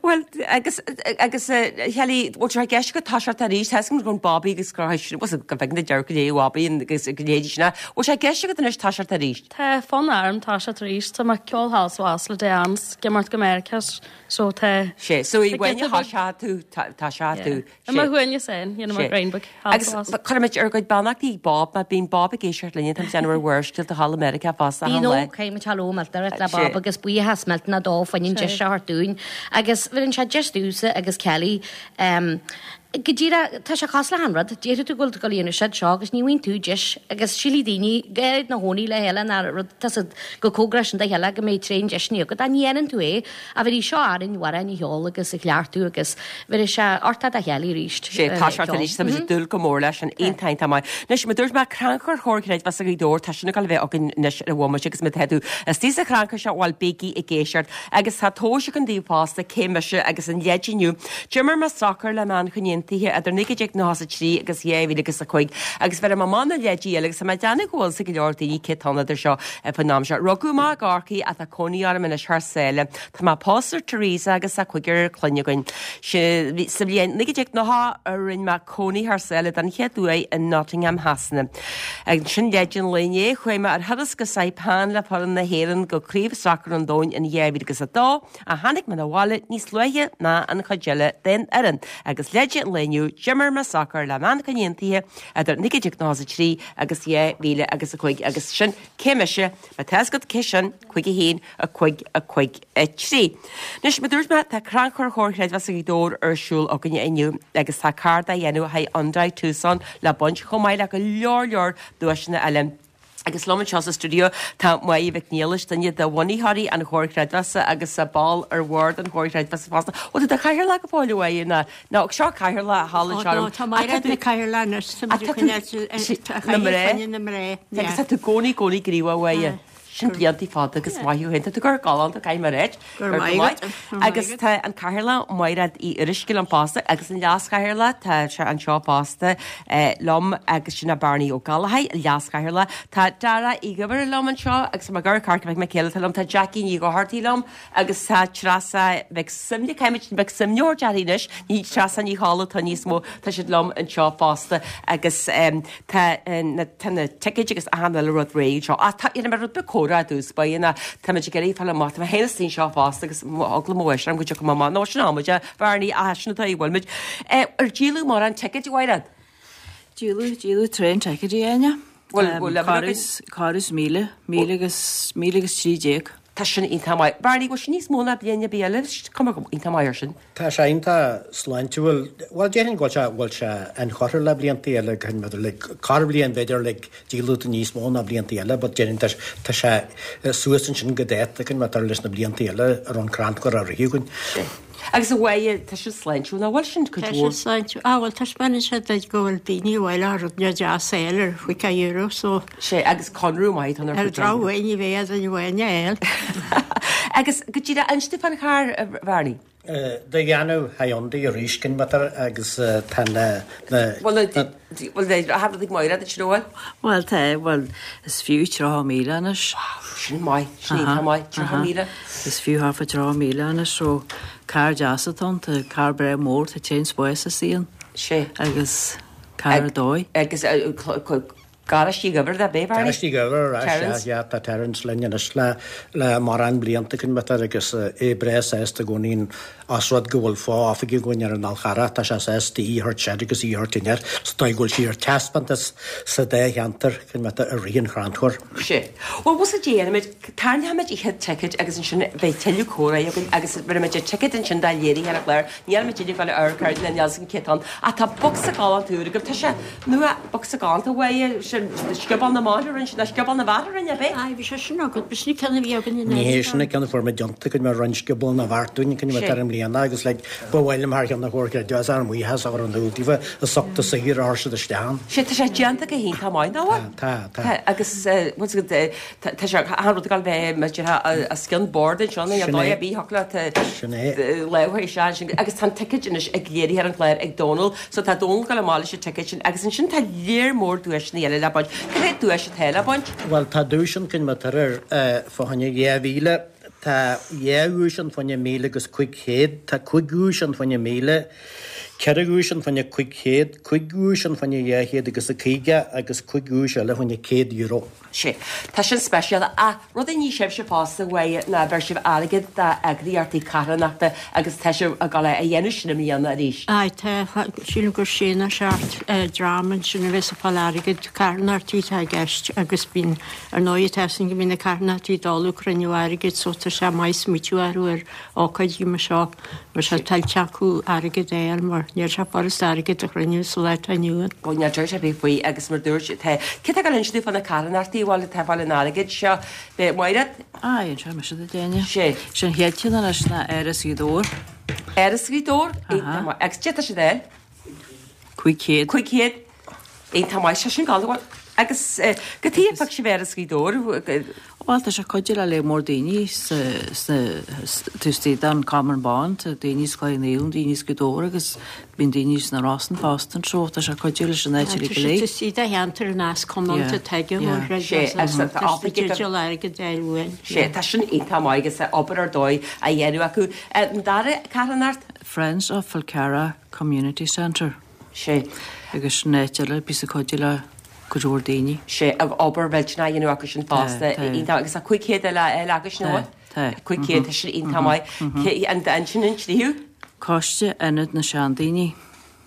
Bhuel, agus agus Kelly, bhfuil sé i gceist agat toiseacht arís, tá a fhios agam go raibh Bobby agus go raibh bhuel, go bhfeiceann tú dearcadh léi Bobby agus go léidí sin. Bhfuil sé i gceist agat anois toiseacht arís? Tá fonn orm toiseacht arís, tá mé ag ceol thall is abhus le Diane, ag imeacht go Meiriceá, so tá Sé, so i Tá bhfuil giota tá beag- sé tú tá sé tú. I mo shuaimhneas féin, dhéanfaidh mé grind beag thall Agus is abhus. cuirfimid ár gcuid beannachtaí ag Bob, mar bíonn Bob ag éisteacht linne, tá muid ag déanamh ar Bharrscéalta thall i Meiriceá fosta Bíonn achan ó lá. caithfimid thall ó millteanach le Sé. Bob agus buíochas millteanach dó fá choinne an deis seo a thabhairt dúinn. Agus bheireann sé deis domhsa agus Kelly um, go díreach tá sé cosúil le han rud, déarfaidh tú go bhfuil tú ag dul a dhéanamh siad seo agus ní bhíonn tú deis agus sílfidh daoine go háirid na hónaí le chéile ná rud tá siad go cóngarach sin do chéile go mbeidh tréan deiseanna agat ach ní dhéanann tú é a bhí seo arainn mhara ní cheol agus a chleachtadh agus bhí sé ortá a chéile arís. Sé tá sé arís tá muid ag dúil go mór leis an iontach iontach maith. Anois mar dúirt mé crannchur Chomhar Creidmheasa Ghaoth Dobhair tá sin ag dul a bheith againn anois ar an bhomaite agus má tá tú istigh sa chrannchur seo bhuel bígí ag éisteacht agus tá tomhais againn daoibh fosta cé mise agus an leid inniu. D'imir mé sacar le Manchain Aontaithe idir naoi déag nócha a trí agus dhá mhíle agus a cúig agus bheir mé amach na leidí eile agus tá mé ag déanamh go bhfuil sa go leor daoine cé atá idir seo faoin am seo. Rugadh mé i gCorcaigh ach tá cónaí orm anois thar sáile. Tá mé pósta ar Teresa agus tá cúigear clainne againn. Sa bhliain naoi déag nócha a rinne mé cónaí thar sáile den chéad uair in Nottingham Shasana. Ansin leid an lae inné chuaigh mé ar thuras go Saipan le foireann na hÉireann go craobh sacair an domhain in dhá mhíle agus a dó a tháinig mé abhaile níos luaithe ná an chuid eile den fhoireann agus leid an lae inniu d'imir mé sacar le Manchain Aontaithe idir naoi déag nócha a trí agus dhá mhíle agus a cúig agus sin cé mise má tá agat cé sin cúig a haon a cúig a cúig a trí. Anois mar dúirt mé tá crannchur Chomhar Creidmheasa Ghaoth Dobhair ar siúl againne inniu agus tá carr dá dhéanamh Hyundai Tucson le baint chomh maith le go leor leor duaiseanna eile. Agus liom anseo sa studio tá Máire Mhic Niallais duine de bhunaitheoirí an Chomhar Creidmheasa agus a ball ar bhord an Chomhar Creidmheasa fosta. Bhfuil tú do chathaoirleach go fóill uaidh ná ná seo cathaoirleach thall anseo. Tá Máire na cathaoirleach Na mná? na mná. Agus tá tú gcónaí gcónaí gníomhach uaidh. Sin blianta fada agus maith thú féin. Tá tú gur galánta caithfidh mé a ráit. Gur Gur maith maith. agat. Gur Agus maith tá an cathaoirleach Máiréad Uí Fhuaruisce liom fosta agus an leas-chathaoirleach tá sé anseo fosta eh, liom agus sin Barney Ó Gallachóir leas-chathaoirleach. Tá Dara Uí Dhuibhir liom anseo agus mar gur Corca Mhic Céile liom tá Jackie Ní Dhochartaigh liom agus tá Treasa Mhic Suibhne caithfimid Mhic Suibhneoir dearthaí anois ní Treasa Ní Chála tá níos mó tá siad liom anseo fosta agus um, tá eh, na tá na ticéid agus achan eile rud réidh seo. Ah, tá mar rud beag comhrá dús ba na tá muid ag iarraidh fáil amach tá mé féin istigh anseo fosta agus eagla mo mhuise orm go dtiocfaidh mé amach. Nó sin amuid Bhearnaí ah sin atá i bhfuil muid. Eh, ar díoladh mórán ticéid Mhairéad? Díoladh díoladh tréan ticéidí Áine. Bhfuil- bhfuil leabhar Corradh corradh míle, míle agus míle agus trí déag. Tá sin iontach maith. Barney, bhfuil sin níos mó ná bliain ar bith eile? Cuma go iontach maith ar sin. Tá sé iontach sláintiúil bhuel déarfainn go bhfuil sé bhfuil sé inchurtha le blianta eile chun maidir le corrbhliain b'fhéidir le díoladh níos mó ná blianta eile, but déarfainn tá tá sé suas ansin go dáta chun maidir leis na blianta eile ar an crannchur a ritheadh againn. Agus a bhaile tá sin sláintiúil ná bhfuil sin cuid Tá mhór. sé sláintiúil. Ah, bhuel taispeánann sé duit go bhfuil daoine bhfuil a rud ne deas eil ar chúpla euro so Sé agus conradh maith tá ar drochuair ní bheidh an bhaine eil. Agus go dtí inis fán charr a Bharney. De dhéanamh Hyundai arís cin matar agus tá na Bhuel bhuel ag Máire sin bhfuil? Bhuel tá bhuel is fiú tríocha míle anois. Sin maith sin iontach maith tríocha míle. Is fiú thart fá tríocha míle anois so carr deas atá ann, tá carr breá mór tá tréan spáis istigh ann. Sé. Agus carr ar dóigh. Agus garáistí Dhuibhir de bé Barney? Garáistí Dhuibhir Terence? yeah, tá Terence linn anois le le mórán blianta cin matar agus é breá sásta i gcónaí as rud go bhfuil fo-oifig againn ar an Fhál Carrach tá sé sásta í a thabhairt soir agus í a thabhairt aniar so tá go bhfuil sí ar taispeántas sa dá cheantar cin matar i rith an chrannchuir. Sé. Well was a déanaimid tarraingeoimid an chéad ticket agus ansin beidh tuilleadh comhrá againn agus bheimid a ticket ansin dá léirithe ar an gclár. Níl muid ag dul ar cur na Nelson Céatán. Ach tá bocsa galánta úr agaibh tá sé nua bocsa galánta uaidh sin Scioból na mban a rinne ná Scioból na bhfear a rinne, ab é? Aye, bhí sé sin agat, b'shin an ceann a bhí againn in Ní hé sin an ceann a fuair muid deonta go mbeadh roinnt Scioból na bhfear dúinn chun bheith ar an mbliana agus like ba mhaith liom thar cheann na Comhairle Creidmheasa ár mbuíochas a chur in iúl daofa as ucht an saothar a chuir siad isteach ann. Sé tá sé déanta go hiontach maith nach bhfuil? Tá, tá. Tá agus bhfuil fhios agat tá sé achan rud ag dul bheith mar déarfá os cionn bord anseo nó Sin dóigh é. ar bith thiocfadh leat Sin é. lámh isteach ansin agus tá an ticéad anois ag léirithe ar an chlár ag Dónal so tá Dónal ag dul amach leis an ticéad sin agus ansin tá léar mór duaiseanna eile le baint. Cad é duais atá le baint? Bhuel tá duais ann cinn tar ar fá choinne dhá mhíle, tá dhá dhuais ann fá choinne míle agus cúig chéad, tá cúig dhuais ann fá choinne míle, ceithre dhuais ann fá choinne cúig chéad, cúig dhuais ann fá choinne dhá chéad agus a caoga agus cúig dhuais eile fá choinne céad euro. Sé. Tá sin speisialta ach rud a ní sibhse fosta uaidh ná bheir sibh airgead d'eagraíochtaí carthanachta agus tá sibh ag dul a dhéanamh sin i mbliana arís. Aye, tá sílim gur sé nó seacht dream ansin a bheas ag fáil airgead carthanachtaí atá i gceist agus bíonn ar ndóigh tá sin go mbíonn na carthanachtaí dul ag cruinniú airgid so tá sé maith smaoitiú orthu ar ócáidí mar seo mar sé tuillte acu airgead a fháil mar níl sé furast airgead a chruinniú sa lá atá inniu ann. Ó níl deir sé bith faoi agus mar dúirt tá cé tá ag insint fá na carthanachtaí bhfuil atá ag fáil an airgid seo Bé Máiread? Aye, anseo mise do déine. Sé. Sin chéad cheann anois ná Áras Ghaoth Dobhair. Áras Ghaoth Dobhair? Aha. Agus cad tá siad air? Cúig chéad. Cúig chéad. Iontach maith sé sin gal agus cad chuige a phioc sibh Áras Ghaoth Dobhair. Bhuel tá sé cuidiú le léar mór daoine sa sa taobh istigh den Common Bond, tá daoine sa Chloich Cheann Fhaola, daoine sa Ghaoth Dobhair agus bíonn daoine sna Rosann fosta anseo, tá sé cuidiú leis an áit uilig go léir. Tá sé de cheantar an as comónta tuige Sé, agus tá oifig ag- airgead ar uain. Sé, tá sin iontach maith agus obair ar dóigh a dhéanamh acu. An dara carthanacht? Friends of Falcarragh Community Centre. Sé. Agus sin áit eile bíos ag cuidiú le go leor daoine. Sé ag obair mhillteanach a dhéanamh acu sin fosta. Tá, tá. Iontach agus tá cúig chéad eile eile acu sin Tá, bhfuil? tá. Cúig chéad, tá sin iontach maith. Cé- An an sin an tríú? Coiste Ionad na Seandaoine.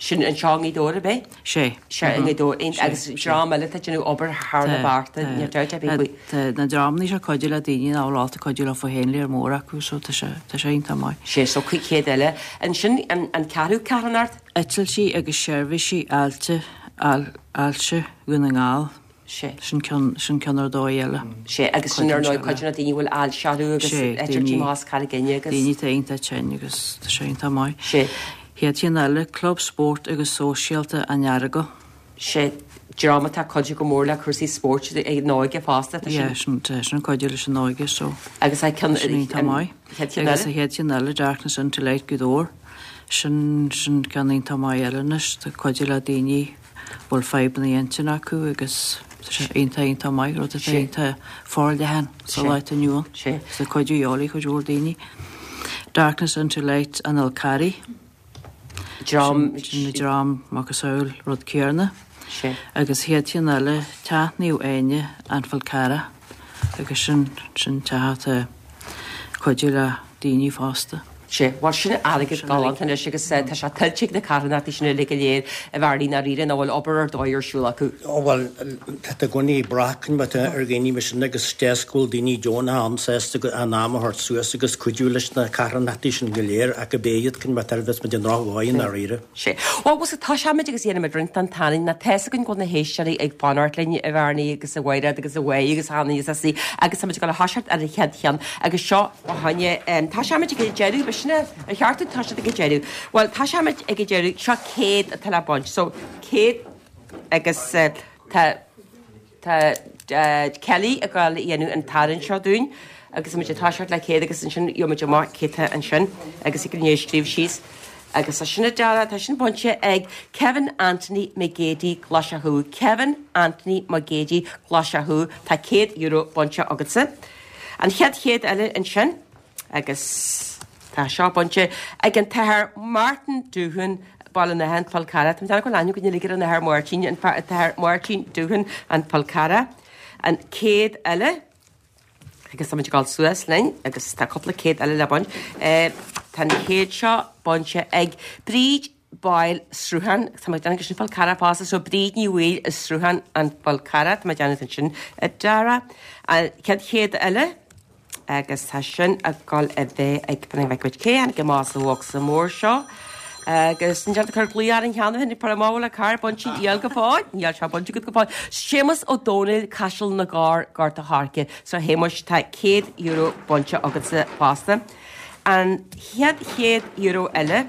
Sin anseo i nGaoth Dobhair ab é? Sé. Sé i nGaoth Dobhair. Agus dream eile tá déanamh obair thar na bearta, níl dabht ar bith faoi. Tá na dreamanna seo cuidiú le daoine nach bhfuil ábalta cuidiú leo féin léar mór acu so tá sé tá sé iontach maith. Sé so cúig chéad eile. Ansin an an ceathrú carthanacht? Eitiltí agus seirbhísí ailse al, ailse Dhún na nGall. Sé. Sin ceann sin ceann ar dóigh eile. Sé agus sin ar ndóigh cuid de na daoine a bhfuil ailse orthu agus Sé, eitiltí daoine- más Carraig Fhinne agus Daoine tá iontach tinn agus tá sé iontach maith. Sé. Chéad cheann eile, Club Spóirt agus Sóisialta an Earagail. Sé dream atá cuidiú go mór le cúrsaí spóirt ag an óige fosta tá Yeah, sin sin tá sin cuidiú leis an óige so. Agus a ceann Sin iontach maith. Chéad cheann Agus a eile? chéad cheann eile, Darkness into Light Gaoth Dobhair. Sin sin ceann iontach maith eile anois, tá cuidiú le daoine bhfuil fadhbanna intinne acu agus tá sé iontach iontach maith, rud atá Sé. iontach forleathan sa Sé. lá atá inniu ann. Sé. Tá cuidiú eolaí cuid mhór daoine. Darkness into Light an Fhál Carraigh. Dream Sin na dream macasamhail rud céanna. Sé. Agus chéad cheann eile, Teach Naomh Áine an Fál Carrach agus sin sin teach atá cuidiú le daoine fásta. Sé, bhuel sin airgead galánta anois agus eh, tá sé tuillte ag na carthanachtaí sin uilig go léir a bhearnaí na ríre ná bhfuil obair ar dóigh ar siúl acu. Ó bhuel tá i gcónaí brath ar dhaoine mar sin agus deas go bhfuil daoine deonacha ann sásta go an am a thabhairt suas agus cuidiú leis na carthanachtaí sin go léir ach go béiad cun ar bheas muid an drochmhaith na ríre. Sé. Well, was tá seid agus dhéanamh roinnt an tanin na te go go na héisteoirí ag fanacht linn a bhearnaí agus a bhhaid agus a bhhaid agus hána is sí agus tá go le haisirt ar a chéad cheann agus seo haine tá seid ag deireadh be sinna a cheartú tá siad ag deireadh. Well tá seid ag deireadh seo céad atá le baint, so céad agus uh, tá tá uh, Kelly ag dul a dhéanamh an tarraingt seo dúinn agus muid tá le céad agus ansin gheobhaimid amach céta ansin agus ag an scríobh síos. Agus tá sin deara tá sin bainte ag Kevin Anthony McGeady Glasachú. Kevin Anthony McGeady Glasachú tá céad euro bainte agatsa. An chéad chéad eile ansin agus tá seo bainte ag an tAthair Martin Dúhan Baile na an Fál Carrach. Tá go leú go ligur an Athair Martin an tAthair Martin Dúhan an Fál Carrach. An céad eile agus tá gáil suas linn agus tá cúpla céad eile le baint. Eh, Tá an chéad seo bainte ag Bríd Boyle Sruhan Tá déanamh sin Fál Carrach fosta so Bríd Ní Bhaoill is Sruhan an Fál Carrach Tá déanamh sin a dara. An chéad chéad eile agus tá sin ag dul a bheith ag bheith cé an go más bhsa mór seo. Agus an deartha cur glaoch ar an cheann hin par amháil le card bainte níl go fóill, níl sé bainte go fóill. Séamus Ó Dónaill Caiseal na gCorr Gort a' Choirce, so Shéamuis tá céad euro bainte agatsa fosta. An chéad chéad euro eile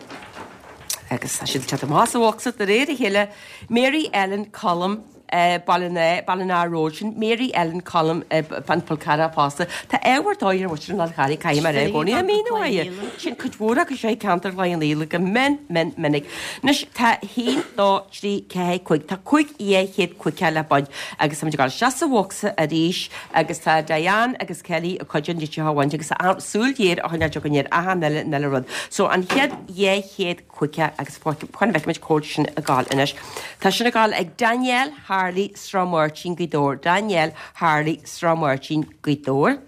agus tá siad te más bhocsa de réir a chéile Mary Ellen Colm uh, Ballina Road sin Mary Ellen Colm uh, fan Fhál Carrach fosta. Tá ábhar dóir an Fháil Charraigh caiim ar gcóí a mí sin cuid mhór acu sé ceantar le an éile go min min minic. Anois tá haon dó trí ceathair cúig Tá cúig dhá chéad caoga le baint agus tá gáil se sa bhocsa arís agus tá Diane agus Kelly a chuid dit hahaint agus súil dhéir a chuine go ar aha neile neile rud. So an chéad dhá chéad caoga agus chuan bheith cód sin a gáil inis. Tá sin a gáil ag Danielle Harley Sráid Mháirtín Gaoth Dobhair Danielle Harley Sráid Mháirtín Gaoth Dobhair.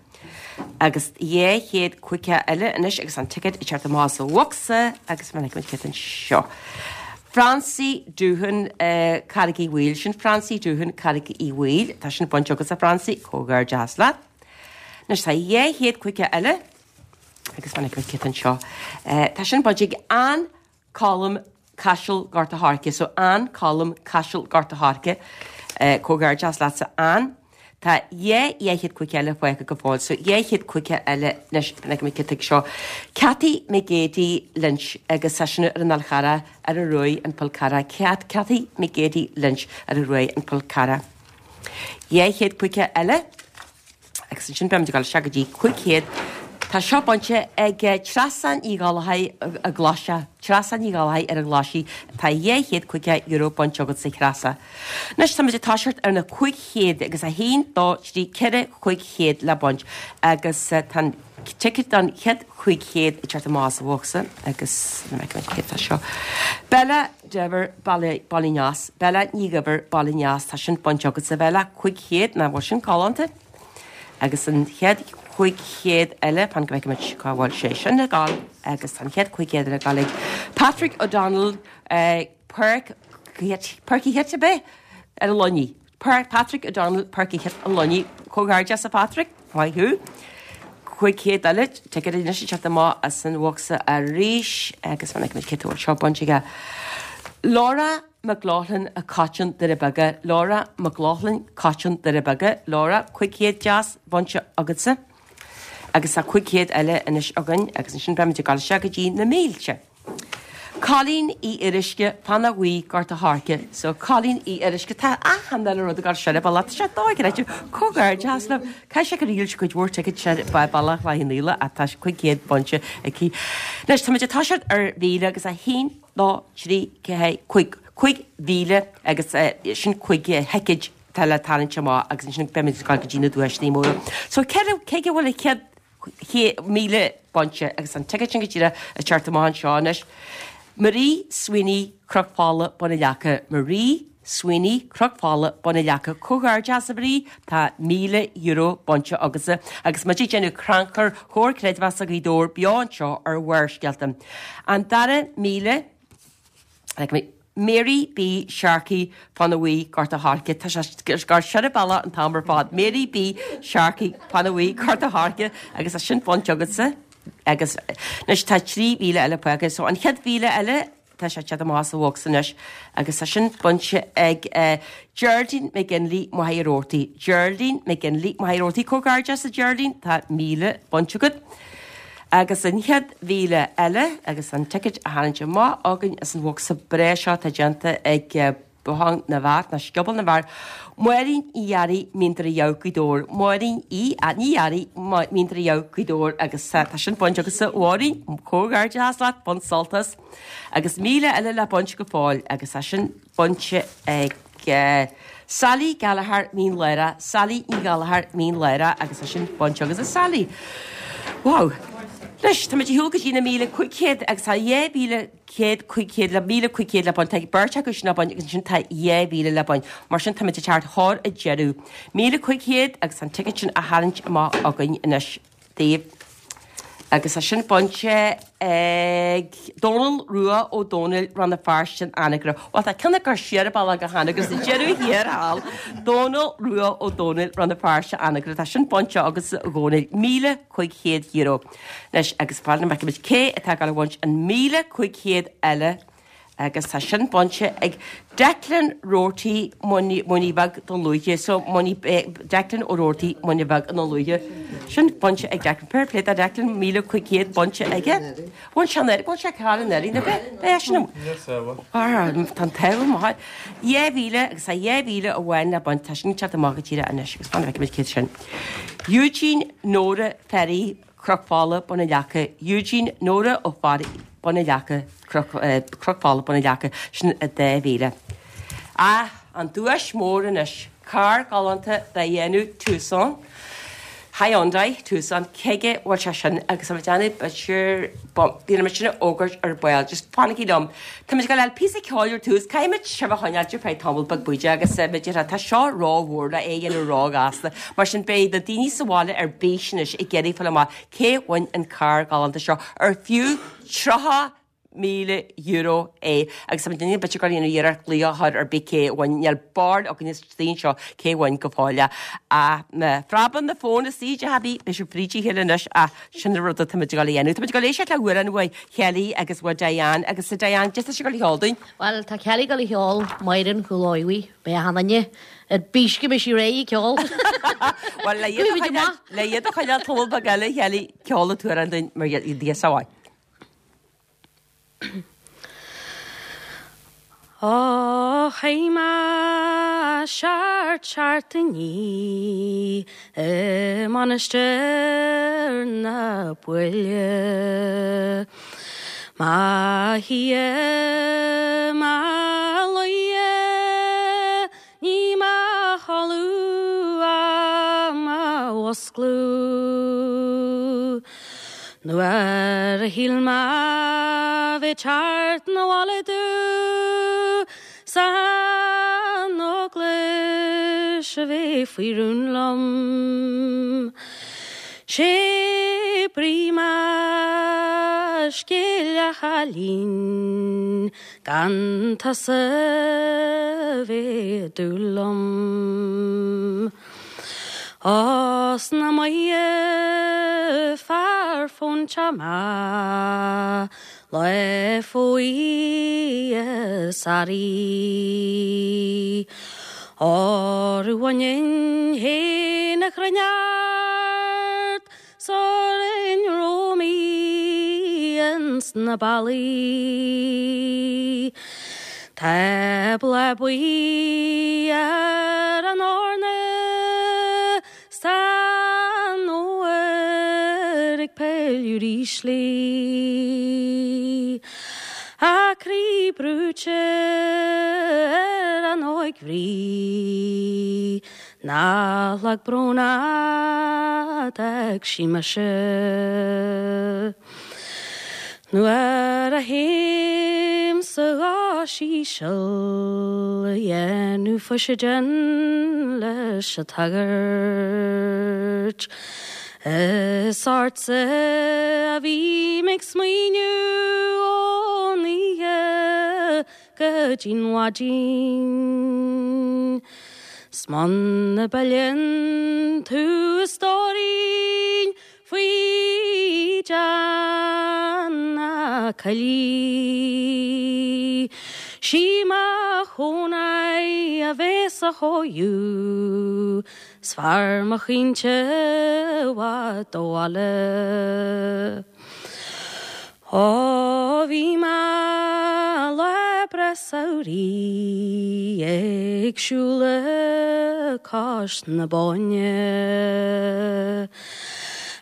Agus dhá chéad caoga eile anois agus an ticket i teacht amach sa bhocsa agus man an seo. Francie Dúhan uh, Carraig Uí Bhaoill sin Francie Dúhan Carraig Uí Bhaoill Tá sin bainte agat a Francie comhghairdeas leat. Anois tá dhá chéad caoga eile agus man an seo. Uh, tá sin bainte ag an Colm Caiseal Gort a' Choirce, so an Colm Caiseal Gort a' Choirce uh, comhghairdeas leatsa an. Tá dhá dhá chéad caoga eile fágtha go fóill, so dhá chéad caoga eile leis na seo. Cathy McGady Lynch agus sin ar an Fhál Charrach ar a ruí an Pulcara. Cat Cathy McGady Lynch ar a ruí an Fhál Carrach. Dhá chéad caoga eile agus sin be gáil se go dtí cúig chéad Tá seo bainte ag Treasa Ní Ghallchóir a Ghlaise, Treasa Ní Ghallchóir ar an Ghlaisigh tá dhá chéad caoga euro bainte agat a Threasa. Anois tá tá ar na cúig chéad agus a haon dó trí ceithre cúig chéad le baint agus tá ticket don chéad cúig chéad i teacht amach sa bhocsa agus na seo. Bella Dever Ballinas, Bella Ní Dhuibhir Ballinas tá sin bainte agat sa Bella cúig chéad na bhfuil sin galánta agus an chéad cúig chéad eile pan go cá bhfuil sé sin le gáil agus an chéad cúig chéad le gáil Patrick O'Donnell uh, Perk Perky hit be ar a Luinnigh. Patrick O'Donnell Perky hit an Luinnigh comhghairdeas a Patrick Maith thú. Cúig chéad eile ticket anois se amach as an bhocsa arís agus fan cé seo bainte Laura McLaughlin a Cotton de beaga Laura McLaughlin Cotton de beaga Laura cúig chéad deas bainte agatsa. agus a cúig chéad eile anois againn agus an sin be gal se go dtí na mílte. Colleen í irisce fanna bhuí Gort a' Choirce, so Colleen í irisce tá achan rud gal se ba se dóigh comhghairdeas le Cai sé go ríl chuid mhór ticket se ba ballach le níle a tá cúig chéad bainte aici. Anois tá tá siad ar mhíle agus a haon dó trí ceathair cúig cúig mhíle agus sin cúig thicéad tá le tarraingt amach agus sin be gal go dtí na duaiseanna móra. So cé cé bhfuil a chéad míle bainte agus an ticket sin go dtí a teacht amach seo anois. Marie Sweeney Cnoc Fola Bun an Leaca Marie Sweeney Cnoc Fola Bun an Leaca comhghairdeas a Marie tá míle euro bainte agus agus muid ag déanamh crannchur Chomhar Creidmheasa Ghaoth Dobhair beo anseo ar Bharrscéalta. An dara míle like, Mary B. Sharkey Fannaí Gort a' Choirce Tá sé gar se bella an t-am ar fad. Mary B. Sharkey Fannaí Gort a' Choirce agus a sin bainte agatsa agus anois tá trí mhíle eile fágtha, so an chéad mhíle eile tá sé te amach sa bhocsa anois agus tá sin bainte ag uh, Geraldine McGinley Mahiortí. Geraldine McGinley Mahiortí comhghairdeas a Geraldine tá míle bainte agat. Agus an chéad mhíle eile agus an ticket a tharraingt amach againn as an bhocsa breá seo tá déanta ag uh, Bothán na bhFear na Scioból na bhFear. Máirín Uí Fhearraigh Mín Doire Dhamh Gaoth Dobhair. Máirín í a ní Fhearraigh Mín Doire Dhamh Gaoth Dobhair agus tá sin bainte agatsa a Mháirín comhghairdeas leat bain sult as agus míle eile le baint go fóill agus tá sin bainte ag uh, Sally Gallagher Mín Léire, Sally Ní Gallagher Mín Léire agus tá sin bainte agatsa a Sally. Wow. Anois tá tú go dtí na míle cúig chéad agus tá dhá mhíle céad cúig chéad le míle cúig chéad le baint tá beirt acu sin le baint agus sin tá dhá mhíle le baint mar sin tá teacht thar a deireadh. Míle cúig chéad agus an ticket sin a tharraingt amach againn anois daoibh. Agus tá sin bainte ag Dónal Rua Ó Dónaill Rann na Feirste an Anagaire. Bhuel tá ceann ag cur siar an bealach go hAnagaire sa deireadh thiar thall. Dónal Rua Ó Dónaill Rann na Feirste Anagaire. Tá sin bainte agat a Dhónaill míle cúig chéad euro. Anois agus fan go bhfeicfimid cé atá ag gabháil a bhaint an míle cúig chéad eile agus tá sin bainte ag Declan Roarty Muine Bheag Dún Lúiche so Muine Declan O'Roarty Muine Bheag i nDún Lúiche. Sin bainte ag Declan Fair play do Declan míle cúig chéad bainte aige. Bhain sé an bhain sé ceann an earraí na bheith é sin Tá an maith. Dhá mhíle agus a dhá mhíle amháin le baint tá sin teacht amach go tíre anois agus fan go bhfeicfimid cé sin. Eugene Nora Ferry Cnoc Fola Bun na Leaca Eugene Nora Ó Fearraigh Bun na Leaca Cnoc Fola Bun na Leaca sin a dá mhíle. Ah, an duais mór anois, carr galánta de dhéanamh Tucson. Hyundai Tucson cige bhfuil sé sin agus a déanamh b'fhéidir bíonn sin a fhógairt ar ball, just fanaigí liom. Tá muid ag dul píosa ceoil ar tús, caithfimid sibh a choinneáil ar feadh tamall beag bídeach agus b'fhéidir tá seo rómhór le é a dhéanamh róghasta. Mar sin beidh na daoine sa bhaile ar bís anois ag iarraidh fáil amach cé bhain an carr galánta seo ar fiú tríocha míle euro é agus tá muid b'fhéidir ag déanamh iarracht glaoch a chur ar bith cé bhain níl barúil againn istigh anseo cé bhain go fóill é. Ach má phreabann na fón istigh a Happy beidh sibh fríd a chéile anois ach sin an rud atá muid ag dul a dhéanamh. Tá muid ag dul éisteacht le hamhrán uaidh Kelly agus uaidh Diane agus a Diane just tá sé ag dul a cheol dúinn. Bhuel tá Kelly ag dul a cheol Máire an Chúil Aodha beidh achan duine ar bís go mbeidh sí réidh ag ceol. Bhuel le iad a choinneáil le iad a choinneáil tamall beag eile Kelly ceol an t-amhrán dúinn mar Dhia sábháil. Ó théim seart seachtainí i Mainistir na Buile. Má shia má luighe ní mo chodladh ach mo mhusclú. Nuair a shíl mé bheith teacht 'na bhaile domh san eaglais a bheith faoi rún liom. Sé brí mo scéil a chailín gan tusa bheith ag dúil liom. Os na maithe fear fóinte maith le fóidhe saraí. Orú bhaininn fhéin a chruinneart sar in Rómaí ins na ballaí. Tá bláth buí ar an eorna 's tá an fhómhar ag pilleadh ríslí. A croí brúite ar an óig-mhnaoi, nach lag brón a d'fhág sí mise. Nuair a théim sa gháis íseal a dhéanamh fuiseoidin leis an tsagart. Is ortsa a bhím ag smaoineamh ón oíche go dtí'n mhaidin. 'S muna bpilleann tú a stóirín faoi dhean na coillí. Sí mo chónaí a bheas á chóiriú, 's fearr mo chaointe i bhfad ó bhaile. Ó bhí mé lá breá samhraidh ag siúl cois na Bóinne.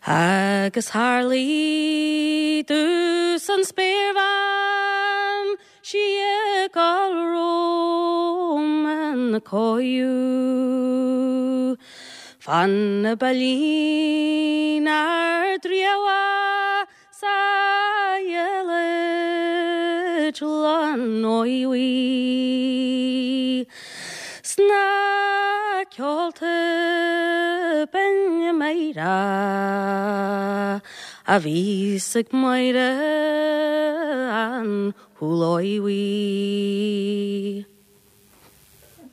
Agus tharlaigh domhsa an spéirbhean sí ag gabháil romham ina cóiriú. Fan na beilín ar dtreabhadh sa fheileid lán óigh. Sna ceolta binne Máire A bhíos ag Máire an Shúileáin Bhuí.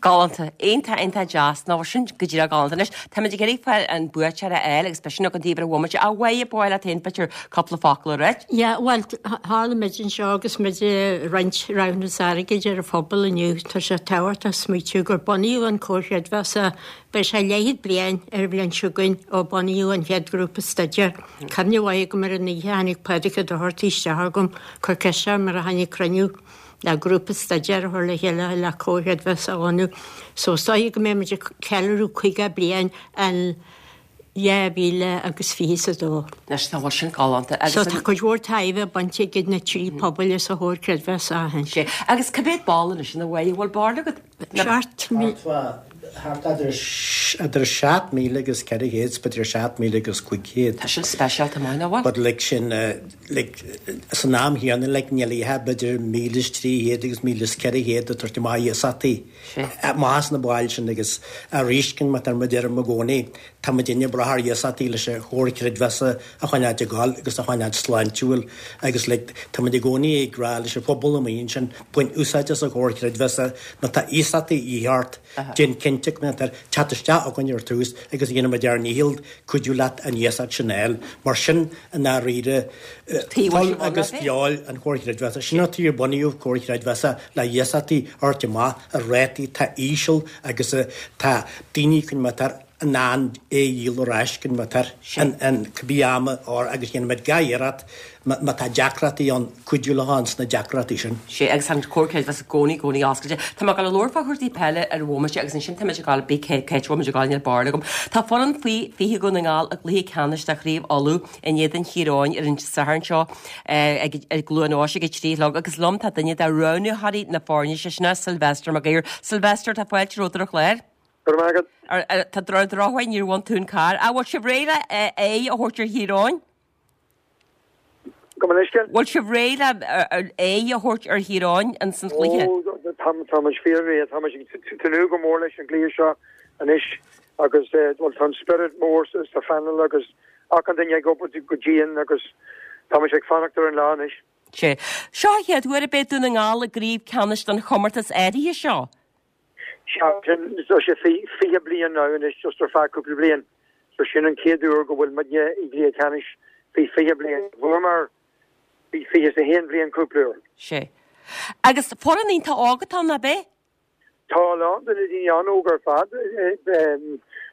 Galánta. Iontach, iontach deas. Nó sin go díreach galánta. Anois, táimid ag iarraidh fáil an buaiteoir a fháil agus beidh sin againn taobh ar bhomaite. A Mháire, ba mhaith leat féin b'fhéidir cúpla focal a ráit? Yeah, bhuel, tharla muid anseo agus muid ag roinnt roghanna airgid ar an phobal inniu. Tá sé tábhachtach smaoitiú gur bunaíodh an Comhar Creidmheasa, beidh sé leathchéad bliain ar an bhliain seo chugainn ó bunaíodh an chéad ghrúpa staidéir. Cuimhne mhaith agam ar an oíche a tháinig Pádraig Ó Dochartaigh isteach agam, chuir ceist orm ar tháinig cruinniú le grúpa staidéir a chur le chéile le Comhar Creidmheasa a bhunú. So is dóigh go mbeidh muid ag ceiliúradh caoga bliain in dhá mhíle agus fiche is a dó. Anois tá bhfuil sin galánta agus So tá cuid mhór tairbhe bainte ag na trí pobail as an Chomhar Creidmheasa ó shin. Sé. Agus cá mhéad ball anois ina bhfuil bhfuil barúil agat? Seacht mí. Thart idir seacht míle agus ceithre chéad, b'fhéidir seacht míle agus cúig chéad. Tá sin speisialta maith, nach bhfuil? But like sin, like san am chéanna like níl oíche b'fhéidir míle is trí chéad agus míle is ceithre chéad ag tabhairt amach iasachtaí. Amach as na baill sin agus arís cinn má tá muid ar i gcónaí, tá muid ag brath ar iasachtaí leis an Chomhar Creidmheasa a choinneáil ag gabháil agus a choinneáil sláintiúil agus like tá muid i gcónaí ag rá leis an phobal amuigh ansin bain úsáid as an Chomhar Creidmheasa má tá iasachtaí a dhíth ort. Déan cinnte go mbeidh teacht isteach againn ar tús agus dhéanfaimid ár ndícheall cuidiú leat an iasacht sin a fháil. Mar sin, i ndáiríre, fuil agus feoil an Chomhair Chreidmheasa. Sin an tuige ar bunaíodh Comhar Creidmheasa le iasachtaí a thabhairt amach ar rátaí atá íseal agus tá daoine chun in ann é a dhíol ar ais chun in cibé am agus dhéanfaimid gach iarracht má tá deacrachtaí ann cuidiú leo ann sna deacrachtaí sin. Sé agus tá an Comhar Creidmheasa i gcónaí i gcónaí oscailte. Tá mé ag dul a labhairt fá chúrsaí peile ar bhomaite agus ansin tá muid ag dul bí cé cé muid ag dul níl barúil agam. Tá foireann faoi fiche Dhún na nGall i gcluiche ceannais de Chraobh Uladh in éadan Thír Eoghain ar an Satharn seo ag i gCluain Eois ag a trí a chlog agus liom tá duine de roghnóirí na foirne sé sin Sylvester Mac Uidhir. Sylvester tá fáilte romhat ar an chlár. Go raibh maith agat. Tá ar an drochuair níor bhain tú an carr. Ach bhfuil sibh réidh le aghaidh a thabhairt ar Thír Eoghain? Gabh mo leithscéal? Bhfuil sibh réidh le aghaidh a thabhairt ar Thír Eoghain in san chluiche? Ó, tá tá muid fíor-réidh. Tá muid ag tnúth go mór leis an gcluiche seo anois agus bhuel tá an spiorad mór sa phainéal agus achan duine ag obair go dian agus tá muid ag fanacht ar an lá anois. Sé. Seo an chéad uair a beidh Dún na nGall i gcraobh ceannais den chomórtas áirithe seo. Sea, sin, tá sé fiche bliain now anois, just ar feadh cúpla bliain. So sin an chéad uair go bhfuil muidne i gcluiche ceannais faoi fiche bliain. Bhuamar faoi fiche is a haon bhliain cúpla uair. Sea. Agus foireann iontach óg atá ann, ab é? Tá a lán de na daoine an-óg ar fad.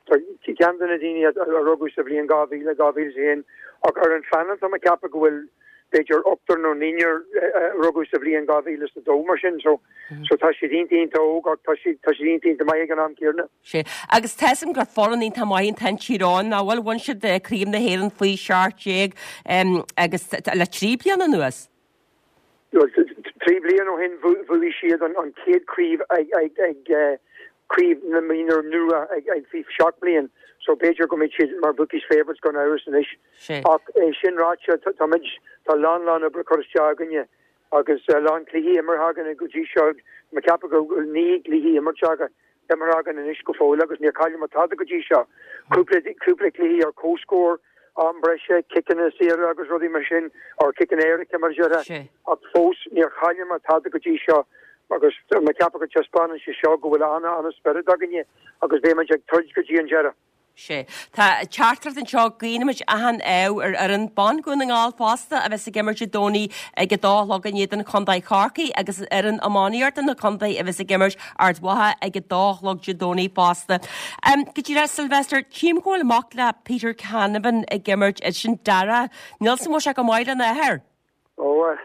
Tá ceann de na daoine a rugadh sa bhliain dhá mhíle, dhá mhíle is a haon, ach ar an phainéal tá mé ag ceapadh go bhfuil b'fhéidir ochtar nó naonúr a rugadh sa bhliain dhá mhíle is a dó mar sin. So so tá siad iontach iontach óg ach tá siad tá siad iontach iontach maith ag an am céanna. Sea. Agus tá 'fhios a'm gur foireann iontach maith atá in Tír Eoghain, nach bhfuil? Bhain siad Craobh na hÉireann faoi seacht déag agus le trí bliana anuas. Bhuel, trí bliana ó shin bhuaigh siad an chéad chraobh ag ag craobh na mionúr nua ag ag faoi seacht bliain so b'fhéidir go mbeidh siad mar bookies favourites gan amhras anois. Ach é sin ráite, tá muid, tá a lán lán oibre curtha isteach againne agus a lán cluichí imeartha againne go dtí seo, tá mé ag ceapadh go bhfuil naoi gcluiche imeartha againn, imeartha againn anois go fóill agus níor chailleamar tada go dtí seo. Cúpla, cúpla cluichí ar comhscór, am breise, ciceanna saora agus rudaí mar sin, or ciceanna éirice mar a déarfá, ach fós níor chailleamar tada go dtí seo agus tá mé ag ceapadh go dtaispeánann sé seo go bhfuil ana-ana-spiorad againne agus beidh muid ag troid go dtí an deireadh. Sea. Tá teachtaireacht anseo, guímid achan ádh ar fhoireann ban Dhún na nGall fosta a bheas ag imirt Dé Domhnaigh ag a dó a chlog in éadan Chontae Chorcaí agus fhoireann iománaíochta na contae a bheas ag imirt Ard Mhacha ag a dó a chlog Dé Domhnaigh fosta. Go díreach, Sylvester, tchím go bhfuil mac le Peter Canavan ag imirt, sin Dara. Níl 'fhios a'm an bhfuil sé go maith lena athair? Ó,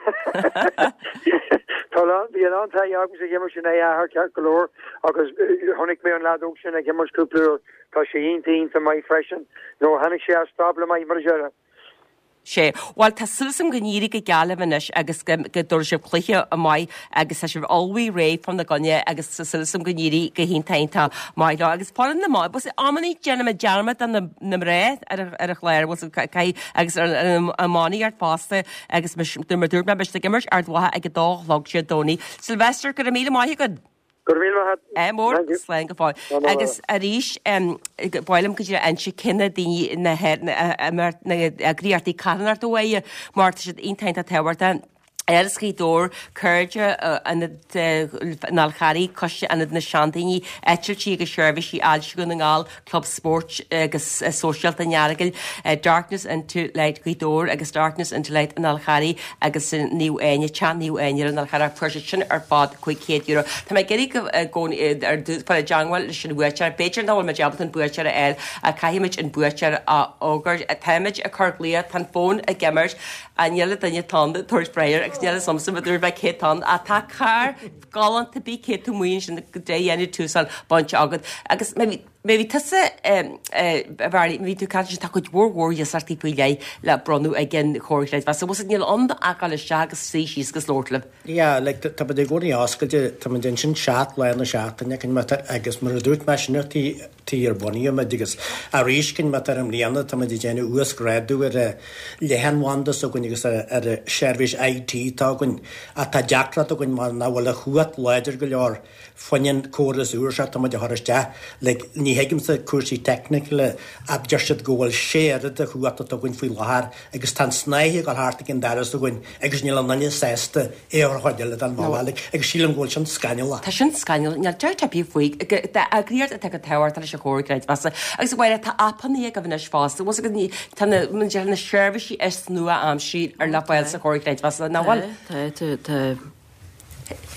tá a lán, bhí a lán taithí agamsa ag imirt in aghaidh a athar ceart go leor agus chonaic mé an leaid óg sin ag imirt cúpla uair. Tá sé iontach, iontach maith freisin. Nó tháinig sé as stábla maith mar a déarfá. Sea. Bhuel, tá súil agam go n-éireoidh go geal libh anois agus go dtabharfaidh sibh cluiche maith agus tá sibh ullmhaithe réidh fá na gcoinne agus tá súil agam go n-éireoidh go hiontach iontach maith leo. Agus foireann na mban, bhuel, amannaí déanaimid dearmad de na mná ar an chlár, bhuel, caithfidh, agus ar an iománaíocht fosta agus mar a dúirt mé, beidh siad ag imirt Ard Mhacha ag a dó a chlog Dé Domhnaigh. Sylvester, go raibh míle maith agat. Go raibh míle maith agat. Ádh mór, Thank you. slán go fóill. Slán go Agus arís, ba mhaith liom go dtí inse cé na daoine na na eagraíochtaí carthanachta uaidh mar tá siad iontach iontach tábhachtach. Áras Ghaoth Dobhair, Cairde Ionad an Fháil Charraigh, Coiste Ionad na Seandaoine, Eitiltí agus Seirbhísí Ailse Dhún na nGall, Club Spóirt agus Sóisialta an Earagail, Darkness into Light Ghaoth Dobhair agus Darkness into Light an Fháil Charraigh agus Naomh Áine, Teach Naomh Áine ar an Fhál Charrach. Fuair siad sin ar fad cúig chéad euro. Tá mé ag iarraidh go ar fáil i dteangmháil leis an bhuaiteoir. B'fhéidir nach bhfuil muid ábalta an buaiteoir a fháil ach caithfimid an buaiteoir a fhógairt. Táimid ag cur glaoch, tá an fón ag imirt, níl duine ann ag tabhairt freagra agus níl a fhios agamsa ma dúirt mé cé atá ann ach tá carr galánta bí cé tú amuigh ansin go dé dhéanamh túsán bainte agat agus má bhí tusa a Mhary, má bhí tú caint tá cuid mhór mhór iasachtaí faoi leith le bronnadh ag an Chomhar Creidmheasa. Bhfuil níl ann ach dul isteach agus suí síos agus labhairt libh. Yeah, like tá muid i gcónaí oscailte, tá muid ansin seacht lá na seachtaine cinn agus mar a dúirt mé sin tí tí ar bunaíodh muid agus arís cinn mat ar an mbliana tá muid ag déanamh uasghrádú ar a leathanbhanda s'againn agus ar ar a seirbhís IT atá againn ach tá deacracht againn mar nach bhfuil a chumhacht láidir go leor fá choinne an córas úr seo atá muid a chur isteach. Like ní thuigimse cúrsaí teicniúla ach deir siad go bhfuil sé oiread de chumhacht atá againn faoi láthair agus tá an snáithe ag dul thart ag an doras againn agus níl aon duine sásta é a chur chuid eile den bhaile like agus sílim go bhfuil sin scannalach. Tá sin scannalach, níl dabht ar bith faoi. Eagraíocht atá go tábhachtach leis an Chomhar Creidmheasa agus bhuel tá aipeanna agaibh anois fosta, bhfuil fhios agat tá na na seirbhísí is nua-aimseartha ar le fáil sa Chomhar Creidmheasa, nach bhfuil? Tá, tá, tá.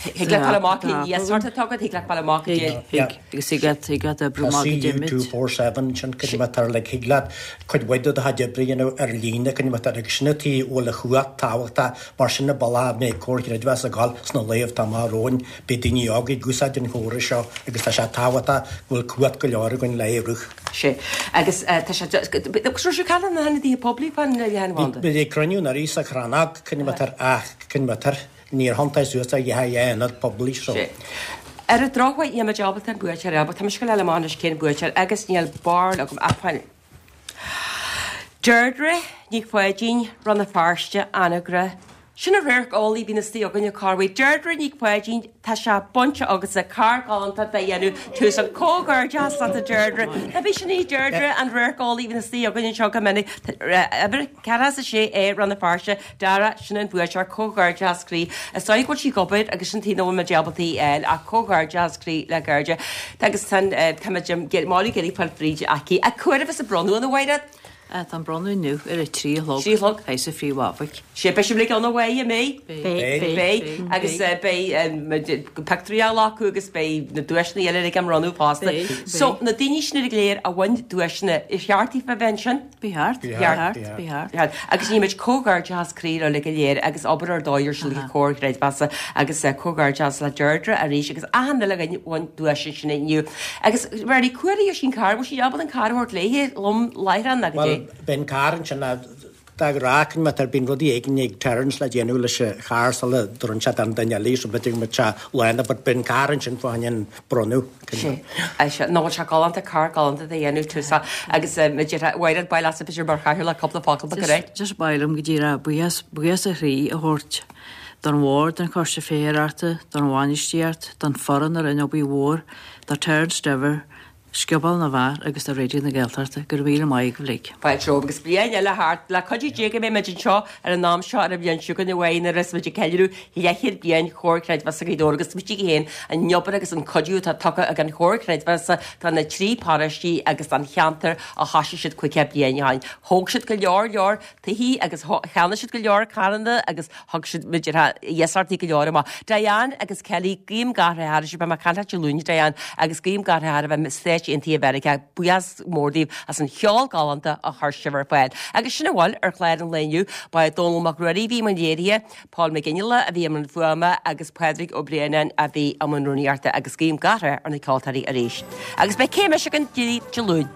Thig leat fáil amach cén iasacht atá agat, thig leat fáil amach Thig, thig, agus thig leat, thig leat oibriú Tá amach go CU dtéimid. two four seven sin cad é mar like thig leat cuid mhaith de do chuid oibre a dhéanamh ar líne cad é mar agus sin an tuige a bhfuil a chumhacht tábhachtach mar sin an bealach a mbeidh Comhar Creidmheasa ag dul sna laethanta amach romhainn beidh daoine óga ag úsáid an chórais seo agus tá sé tábhachtach go bhfuil cumhacht go leor againn le é a rith. Sé. Agus tá sé agus raibh sé cail na hionadaithe poiblí fan leathanbhanda. Bhí ag cruinniú anuraidh sa Chrannóg cad é mar ach cad é mar níor thiontaigh suas ar dheich ionad poiblí so. Sé. Ar an drochuair níl muid ábalta an buaiteoir a fháil, tá mise go léir amach anois cén buaiteoir agus níl barúil agam ach fáil. Deirdre Nic Pháidín, Rann na Feirste, Anagaire. Sin an radharc álainn a bhíonn istigh againne Corway. Deirdre Nic Pháidín, tá sé bainte agatsa carr galánta de dhéanamh tús an comhghairdeas leat a Deirdre. Tá bhí sin í Deirdre an radharc álainn a bhíonn istigh againne anseo go minic. Uimhir ceathracha is a sé é Rann na Feirste, Dara, sin an buaiteoir comhghairdeas croí. Is dóigh go bhfuil sí ag obair agus sin taobh na bhfuil muid ábalta í a fháil ach comhghairdeas croí le Deirdre. Tá agus tá tá muid málaí géirí fáil fríd aici. A cuair a bronnadh an bhhaire? Tá an bronnadh inniu ar a trí a chlog. Trí a chlog. Théis a phríomhábhaic. Sé beidh sibh ann a bhaile mé? Beidh. Beidh. Agus beidh pictiúirí á ghlacadh agus beidh na duaiseanna eile ag an mbronnadh fosta. Beidh. So na daoine sin ar léir a bhain duaiseanna, ar cheart daofa a bheith ansin? Ba cheart. Ba cheart. Ba cheart. Agus ní muid comhghairdeas croí le go léir agus obair ar dóigh ar siúl ag Comhar Creidmheasa agus comhghairdeas le Deirdre arís agus achan uile dhuine a bhain duais sin inniu. Agus Mary cuarí sin car, bhfuil sí ábalta an car a thabhairt léi lom láithreán agus Well, bíonn carr ansin dá rá má tá bíonn rudaí éigin ag Terence le déanamh leis an charr sula dtabharann sé don duine eile so b'fhéidir go mbeadh sé lánach but bíonn carr ansin fá choinne an bronnadh. Sé sé nó bhfuil sé galánta carr galánta de dhéanamh túsa agus Mháire bail as b'fhéidir mar chathaoirleach le cúpla focal ba go réidh. Just ba mhaith liom go díreach buíochas buíochas ó chroí a thabhairt don bhord, don choiste féitheoireachta, don bhainistíocht, don foireann a rinne obair mhór, do Terence Diver, Scioból na bhFear agus do Raidió na Gaeltachta, go raibh míle maith agaibh uilig. Fáilte romhaibh agus bliain eile thart le cuidiú Dé go mbeidh muid anseo ar an am seo ar an bhliain seo chugainn a bheidh nuair is muid ag ceiliúradh leathchéad bliain Chomhar Creidmheasa Ghaoth Dobhair agus smaoitigh féin an obair agus an cuidiú atá tugtha ag an Chomhar Creidmheasa do na trí paróistí agus don cheantar a thosaigh siad caoga bliain ó shin. Thóg siad go leor leor tithe agus cheannaigh siad go leor carranna agus thug siad muid iasachtaí go leor amach. Diane agus Kelly guím gach rath oraibh beidh mé ag caint leat Dé Luain Diane agus guím gach rath oraibh i Stáit Aontaithe Mheiriceá buíochas mór daoibh as an cheol galánta a chuir sibh ar fáil. Agus sin a bhfuil ar chlár an lae inniu ba é Dónal Mac Ruairí a bhí i mbun léirithe, Paul McGinley a bhí i mbun fuaime agus Pádraig Ó Braonáin a bhí i mbun rúnaíochta agus guím gach rath ar na ceoltóirí arís. Agus beidh céim againn Dé Luain.